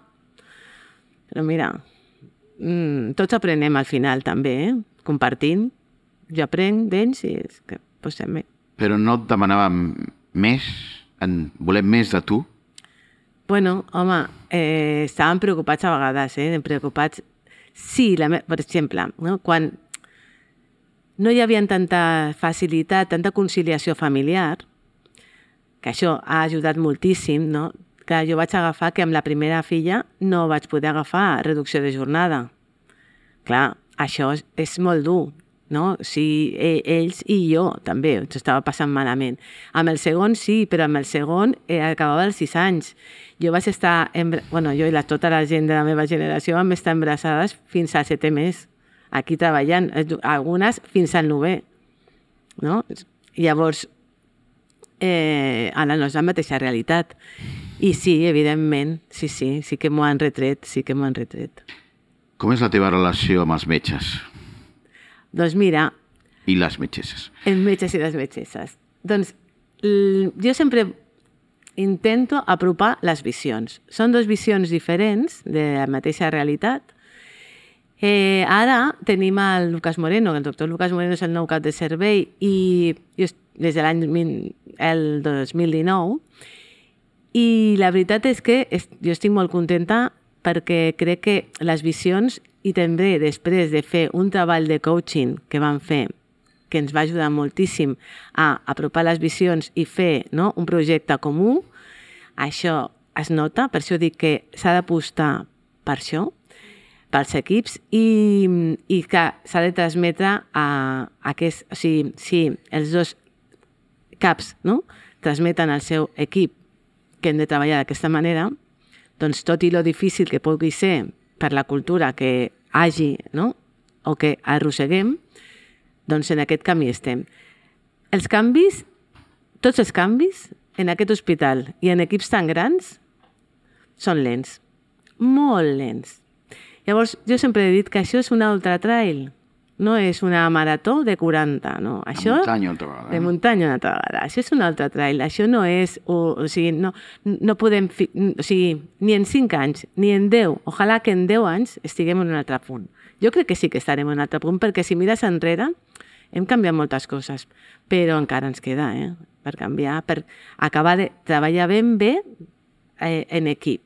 però mira, tots aprenem al final també, compartint. Jo aprenc d'ells i és que posem bé. Però no et demanàvem més? Volem més de tu? Bueno, home, estaven preocupats a vegades, preocupats. Sí, per exemple, no? Quan no hi havia tanta facilitat, tanta conciliació familiar, que això ha ajudat moltíssim, no? Que jo vaig agafar que amb la primera filla no vaig poder agafar reducció de jornada. Clar, això és molt dur, no? Sí, ells i jo també, ens estava passant malament. Amb el segon sí, però amb el segon acabava els 6 anys. Jo vaig estar, jo i tota la gent de la meva generació vam estar embarassades fins al 7è mes, aquí treballant, algunes fins al 9è, no? Llavors, ara no és la mateixa realitat. I sí, evidentment, sí que m'ho han retret, Com és la teva relació amb els metges? Doncs mira... I les metgesses? Els metges i les metgesses. Doncs jo sempre intento apropar les visions. Són 2 visions diferents de la mateixa realitat. Ara tenim el Lucas Moreno, el doctor Lucas Moreno és el nou cap de servei i des de l'any 2019, i la veritat és que jo estic molt contenta perquè crec que les visions, i també després de fer un treball de coaching que vam fer, que ens va ajudar moltíssim a apropar les visions i fer, no?, un projecte comú, això es nota, per això dic que s'ha d'apostar per això, pels equips, i que s'ha de transmetre a aquest... O sigui, si els 2 caps, no?, transmeten al seu equip que hem de treballar d'aquesta manera, doncs tot i lo difícil que pugui ser per la cultura que hagi, no?, o que arrosseguem, doncs en aquest camí estem. Els canvis, tots els canvis en aquest hospital i en equips tan grans són lents, molt lents. Llavors, jo sempre he dit que això és un ultra trail, no és una marató de 40, no. Això, de muntanya una altra vegada. De muntanya una altra vegada. Això és un altre trail. Això no és... O sigui, no podem... O sigui, ni en 5 anys, ni en 10. Ojalà que en 10 anys estiguem en un altre punt. Jo crec que sí que estarem en un altre punt, perquè si mires enrere, hem canviat moltes coses, però encara ens queda, per canviar, per acabar de treballar ben bé en equip.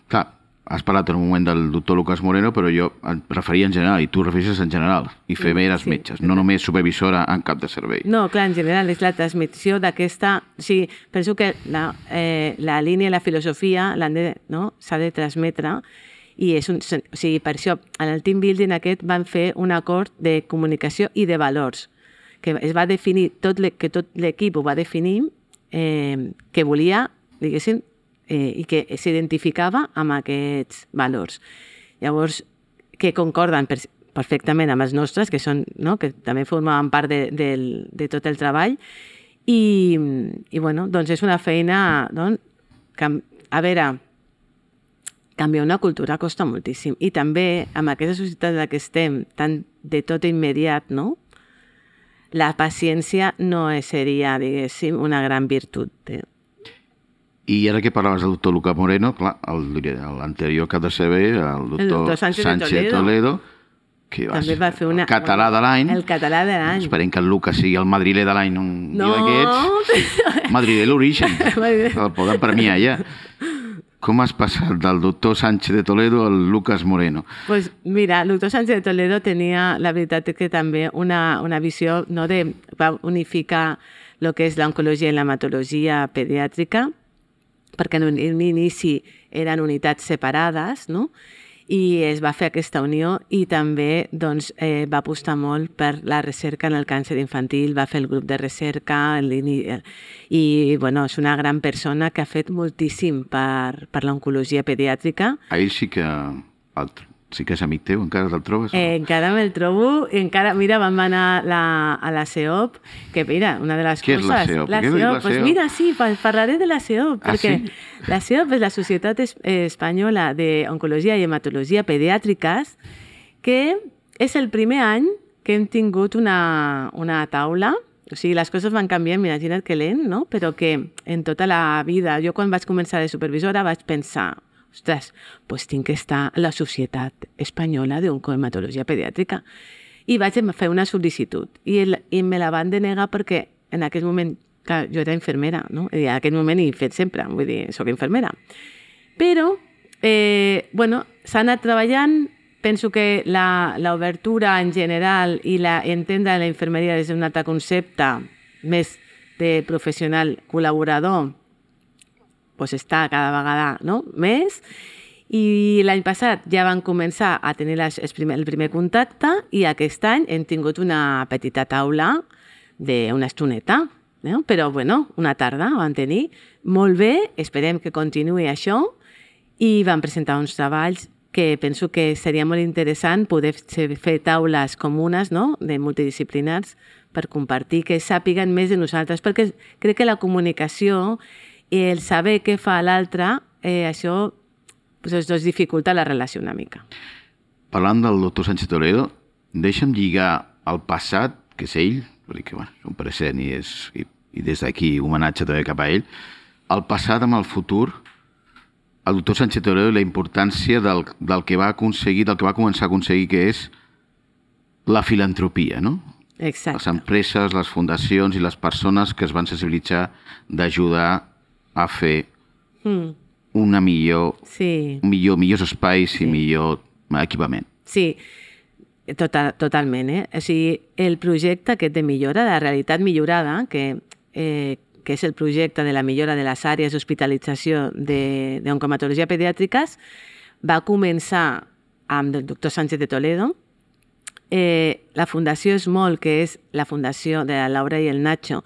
Clar, has parlat en un moment del doctor Lucas Moreno, però jo em referia en general, i tu refereixes en general, i femeres metges, no només supervisora en cap de servei. No, clar, en general és la transmissió d'aquesta... O sigui, penso que la línia i la filosofia s'ha de transmetre, i és o sigui, per això, en el team building aquest van fer un acord de comunicació i de valors, que es va definir, que tot l'equip ho va definir, que volia, diguéssim, i que s'identificava amb aquests valors. Llavors, que concorden perfectament amb els nostres, que són, no?, que també formaven part de tot el treball, i bueno, doncs és una feina, doncs, que, a veure, canviar una cultura costa moltíssim, i també amb aquesta societat en la que estem, tan de tot immediat, no?, la paciència no seria, diguéssim, una gran virtut. I ara que parlaves del doctor Lucas Moreno, clar, l'anterior cap de servei, el doctor Sánchez de Toledo, que va ser el català de l'any. El català de l'any. Esperem que el Lucas sigui el madriler de l'any, un dia d'aquests. Madriler l'origen, el poden premiar ja. Com has passat del doctor Sánchez de Toledo al Lucas Moreno? Pues mira, el doctor Sánchez de Toledo tenia, la veritat que també una visió, no, de va unificar el que és l'oncologia i l'hematologia pediàtrica, perquè en un inici eren unitats separades, no? I es va fer aquesta unió i també doncs, va apostar molt per la recerca en el càncer infantil, va fer el grup de recerca i bueno, és una gran persona que ha fet moltíssim per l'oncologia pediàtrica. Ell sí que és amic teu, encara te'l trobes? Encara me'l trobo, encara, mira, vam anar a la CEOP, que mira, una de les Què coses... és la CEOP? La CEOP, pues mira, sí, parlaré de la CEOP, perquè sí? la CEOP és la Societat Espanyola d'Oncologia i Hematologia Pediàtriques, que és el primer any que hem tingut una taula, o sigui, les coses van canviant, imagina't que lent, no? Però que en tota la vida, jo quan vaig començar de supervisora vaig pensar, ostres, doncs tinc que estar a la Societat Espanyola d'Oncohematologia Pediàtrica. I vaig fer una sol·licitud i me la van denegar perquè en aquell moment, clar, jo era infermera, no? I en aquell moment he fet sempre, vull dir, soc infermera. Però, bueno, s'ha anat treballant, penso que l'obertura en general i entendre la infermeria des d'un altre concepte més de professional col·laborador pues està cada vegada més. I l'any passat ja van començar a tenir el primer contacte i aquest any hem tingut una petita taula d'una estoneta, no? Però bueno, una tarda van tenir. Molt bé, esperem que continuï això i van presentar uns treballs que penso que seria molt interessant poder fer taules comunes, no? De multidisciplinars per compartir, que sàpiguen més de nosaltres, perquè crec que la comunicació i el saber què fa l'altre, això doncs dificulta la relació una mica. Parlant del doctor Sánchez Toledo, deixa'm lligar el passat, que és ell, perquè bueno, és un present i des d'aquí homenatge també cap a ell, el passat amb el futur, el doctor Sánchez Toledo i la importància del que va aconseguir, del que va començar a aconseguir, que és la filantropia, no? Exacte. Les empreses, les fundacions i les persones que es van sensibilitzar d'ajudar a fer millors espais i millor equipament. Sí, totalment. O sigui, el projecte aquest de millora, de realitat millorada, que és el projecte de la millora de les àrees d'hospitalització d'oncohematologia pediàtriques, va començar amb el doctor Sánchez de Toledo. La Fundació Small, que és la fundació de la Laura i el Nacho,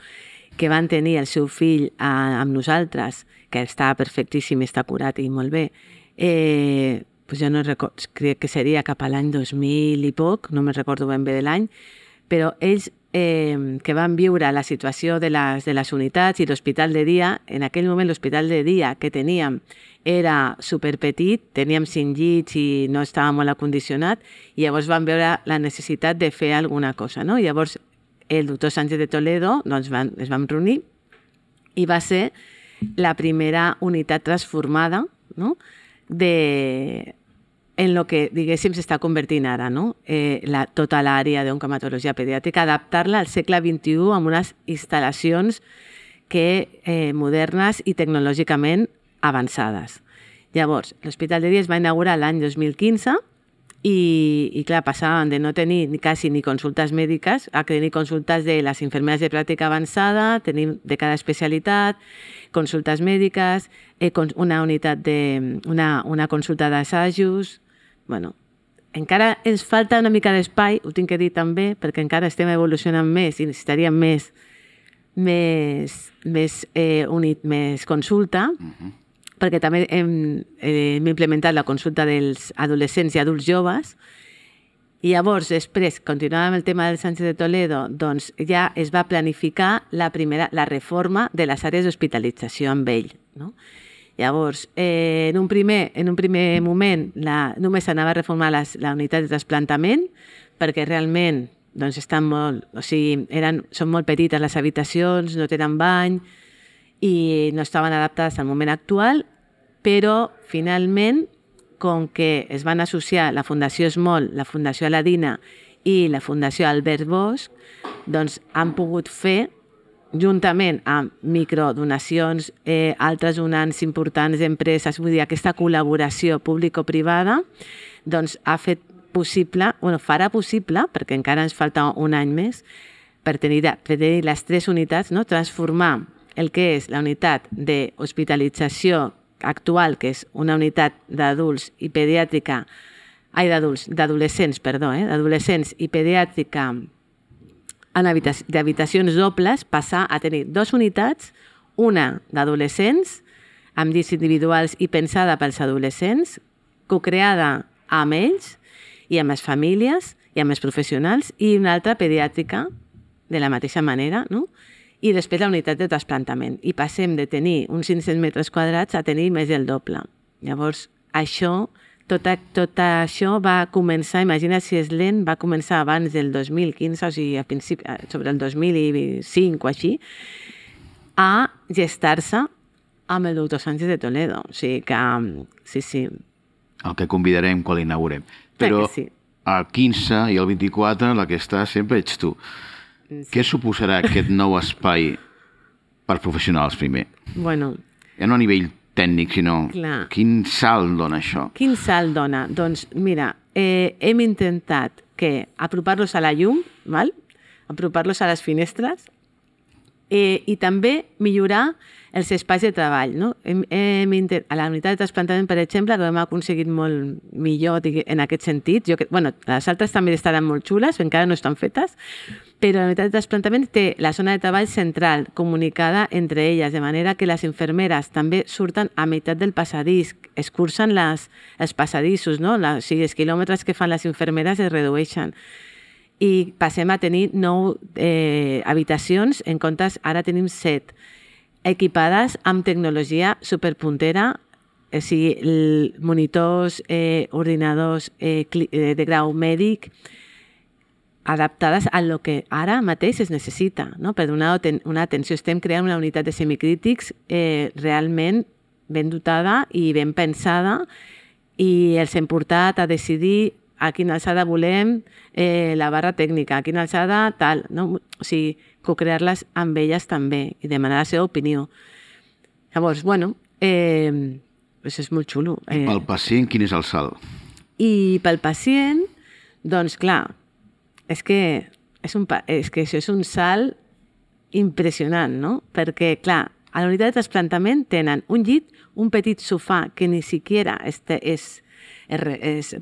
que van tenir el seu fill amb nosaltres, que està perfectíssim, està curat i molt bé, jo no recordo, crec que seria cap a l'any 2000 i poc, no me'n recordo ben bé de l'any, però ells que van viure la situació de les unitats i l'hospital de dia, en aquell moment l'hospital de dia que teníem era superpetit, teníem 5 llits i no estava molt acondicionat, i llavors van veure la necessitat de fer alguna cosa, no? Llavors el doctor Sánchez de Toledo doncs es vam reunir i va ser la primera unitat transformada, no? En el que, diguéssim, s'està convertint ara, no? Tota l'àrea d'oncohematologia pediàtrica, adaptar-la al segle XXI amb unes instal·lacions modernes i tecnològicament avançades. Llavors, l'Hospital de Dia es va inaugurar l'any 2015 i clar, passaven de no tenir quasi ni consultes mèdiques a tenir consultes de les infermeres de pràctica avançada, tenim de cada especialitat, consultes mèdiques, una unitat una consulta d'assajos. Bueno, encara ens falta una mica d'espai, ho tinc que dir també, perquè encara estem evolucionant més i necessitaríem més consulta, perquè també hem implementat la consulta dels adolescents i adults joves, i llavors, després, continuant amb el tema del Sánchez de Toledo, doncs ja es va planificar la reforma de les àrees d'hospitalització amb ell, no? Llavors, en un primer moment només s'anava a reformar la unitat de trasplantament, perquè realment estan molt, o sigui, són molt petites les habitacions, no tenen bany i no estaven adaptades al moment actual, però finalment, com que es van associar la Fundació Small, la Fundació Aladina i la Fundació Albert Bosch, doncs han pogut fer juntament amb microdonacions, altres donants importants d'empreses, vull dir, aquesta col·laboració público-privada, doncs ha fet possible, farà possible, perquè encara ens falta un any més, per tenir les 3 unitats, no? Transformar el que és la unitat d'hospitalització actual, que és una unitat d'adults i pediàtrica, d'adolescents i pediàtrica d'habitacions dobles, passar a tenir 2 unitats, una d'adolescents, amb llits individuals i pensada pels adolescents, cocreada amb ells i amb les famílies i amb els professionals, i una altra pediàtrica de la mateixa manera, no? I després la unitat de trasplantament. I passem de tenir uns 500 metres quadrats a tenir més del doble. Llavors, tot això va començar, imagina't si és lent, va començar abans del 2015, o sigui, sobre el 2005 o així, a gestar-se amb el doctor Sánchez de Toledo. O sigui que, sí. El que convidarem quan l'inaugurem. Però sí. El 15 i el 24 la que està sempre ets tu. Sí. Què suposarà aquest nou espai per professionals, primer? Bueno... Ja no a nivell tècnic, sinó clar. Quin salt dona això? Quin salt dona? Doncs mira, hem intentat apropar-los a la llum, val? Apropar-los a les finestres, i també millorar els espais de treball. No? A la unitat de trasplantament, per exemple, que hem aconseguit molt millor en aquest sentit. Les altres també estaran molt xules, encara no estan fetes, però la unitat de trasplantament té la zona de treball central comunicada entre elles, de manera que les infermeres també surten a meitat del passadís, escurcen els passadissos, no? O sigui, els quilòmetres que fan les infermeres es redueixen. I passem a tenir 9 habitacions, en comptes ara tenim 7, equipades amb tecnologia superpuntera, o sigui, monitors, ordinadors de grau mèdic, adaptades a lo que ara mateix es necessita, no? Per donar una atenció. Estem creant una unitat de semicrítics realment ben dotada i ben pensada, i els hem portat a decidir a quina alçada volem la barra tècnica, a quina alçada tal, no? O sigui, co-crear-les amb elles també i demanar la seva opinió. Llavors, bueno, això és molt xulo. I pel pacient, quin és el salt? I pel pacient, doncs clar, és que això és un salt impressionant, no? Perquè, clar, a la unitat de trasplantament tenen un llit, un petit sofà que ni siquiera es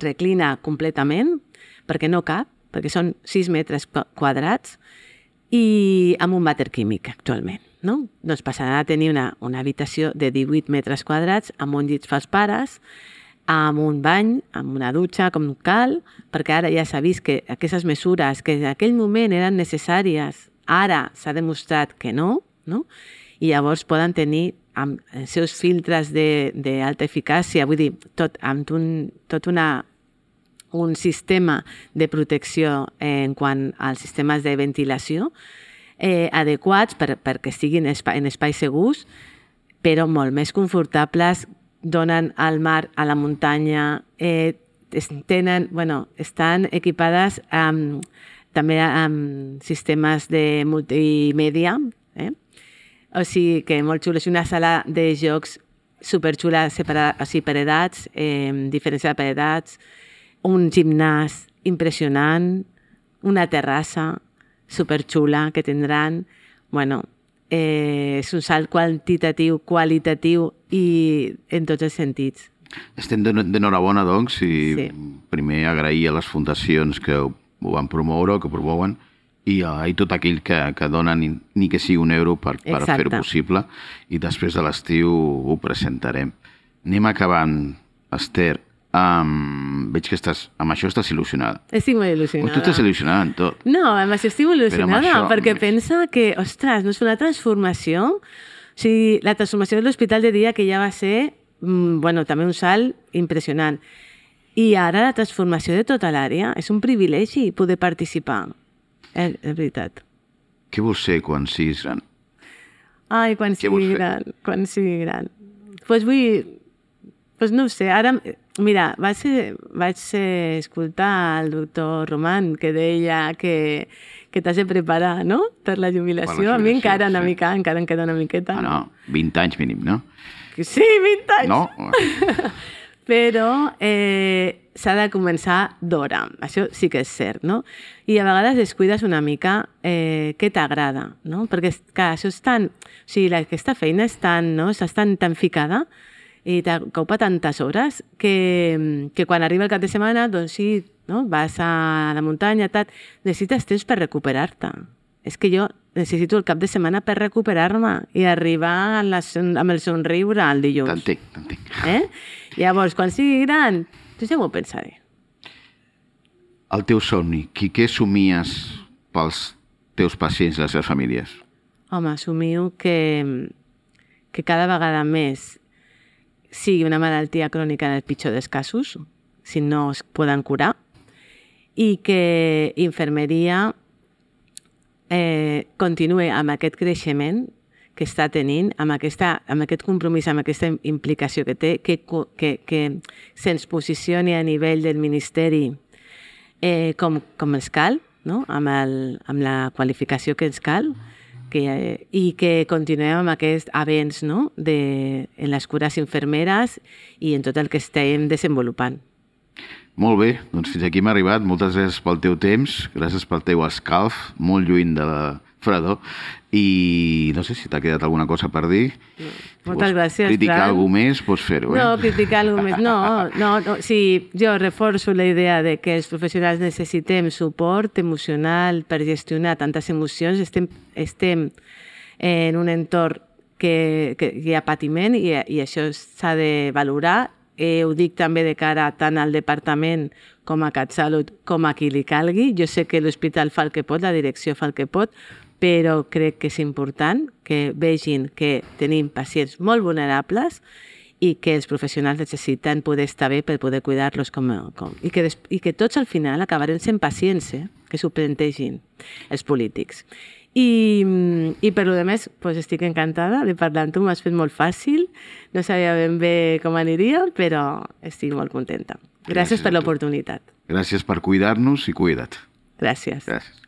reclina completament, perquè no cap, perquè són 6 metres quadrats, i amb un vàter químic actualment. No? Doncs passaran a tenir una habitació de 18 metres quadrats amb un llit pels pares, amb un bany, amb una dutxa, com cal, perquè ara ja s'ha vist que aquestes mesures que en aquell moment eren necessàries, ara s'ha demostrat que no? I llavors poden tenir amb els seus filtres d'alta eficàcia, vull dir, amb tot un sistema de protecció en quant als sistemes de ventilació adequats perquè estiguin en espais segurs, però molt més confortables, donen al mar, a la muntanya, estan equipades també amb sistemes de multimèdia, o sigui que molt xulo. És una sala de jocs superxula, separada, o sigui, per edats, diferenciada per edats, un gimnàs impressionant, una terrassa superxula que tindran. Bueno, és un salt quantitatiu, qualitatiu i en tots els sentits. Estem d'enhorabona, doncs, i sí. Primer agrair a les fundacions que ho van promoure o que promouen, i tot aquell que donen ni que sigui €1 per fer-ho possible, i després de l'estiu ho presentarem. Anem acabant, Esther. Veig que amb això estàs il·lusionada. Estic molt il·lusionada. Tu estàs il·lusionada en tot. No, amb això estic molt il·lusionada, perquè pensa que, ostres, no és una transformació? O sigui, la transformació de l'hospital de dia, que ja va ser, també un salt impressionant. I ara la transformació de tota l'àrea és un privilegi poder participar. És veritat. Què vols ser quan siguis gran? Ai, quan sigui gran. Doncs no ho sé, ara... Mira, vaig escoltar el doctor Roman, que deia que que t'has de preparar, no?, per la jubilació. A mi encara una mica, encara em queda una miqueta. Ah, no, 20 anys mínim, no? Sí, 20 anys! No? Però s'ha de començar d'hora, això sí que és cert, no? I a vegades descuides una mica què t'agrada, no? Perquè clar, això és tan... O sigui, aquesta feina és tan, no? Estàs tan ficada i t'ocupa tantes hores que quan arriba el cap de setmana, doncs sí, no? Vas a la muntanya, necessites temps per recuperar-te. És que jo necessito el cap de setmana per recuperar-me i arribar amb el somriure al dilluns. T'entenc. Llavors, quan sigui gran, ja m'ho pensaré. El teu somni, què somies pels teus pacients i les seves famílies? Home, somio que cada vegada més sigui una malaltia crònica en el pitjor dels casos, si no es poden curar, i que infermeria continuï amb aquest creixement que està tenint, amb aquest compromís, amb aquesta implicació que té, que se'ns posicioni a nivell del Ministeri com ens cal, no? amb la qualificació que ens cal, i que continuem amb aquest avenç, no? en les cures infermeres i en tot el que estem desenvolupant. Molt bé, doncs fins aquí hem arribat. Moltes gràcies pel teu temps, gràcies pel teu escalf, molt lluny de la fredor, i no sé si t'ha quedat alguna cosa per dir. Moltes gràcies, criticar alguna cosa més, pots fer-ho. No, criticar alguna cosa més, no. Sí, jo reforço la idea de que els professionals necessitem suport emocional per gestionar tantes emocions. Estem en un entorn que hi ha patiment i això s'ha de valorar. Ho dic també de cara tant al departament com a CatSalut com a qui li calgui. Jo sé que l'hospital fa el que pot, la direcció fa el que pot, però crec que és important que vegin que tenim pacients molt vulnerables i que els professionals necessiten poder estar bé per poder cuidar-los i que tots al final acabarem sent pacients, que s'ho plantegin els polítics. I per lo demés, estic encantada de parlar amb tu, m'has fet molt fàcil, no sabia ben bé com aniria, però estic molt contenta. Gràcies per l'oportunitat. Gràcies per cuidar-nos i cuida't. Gràcies. Gràcies.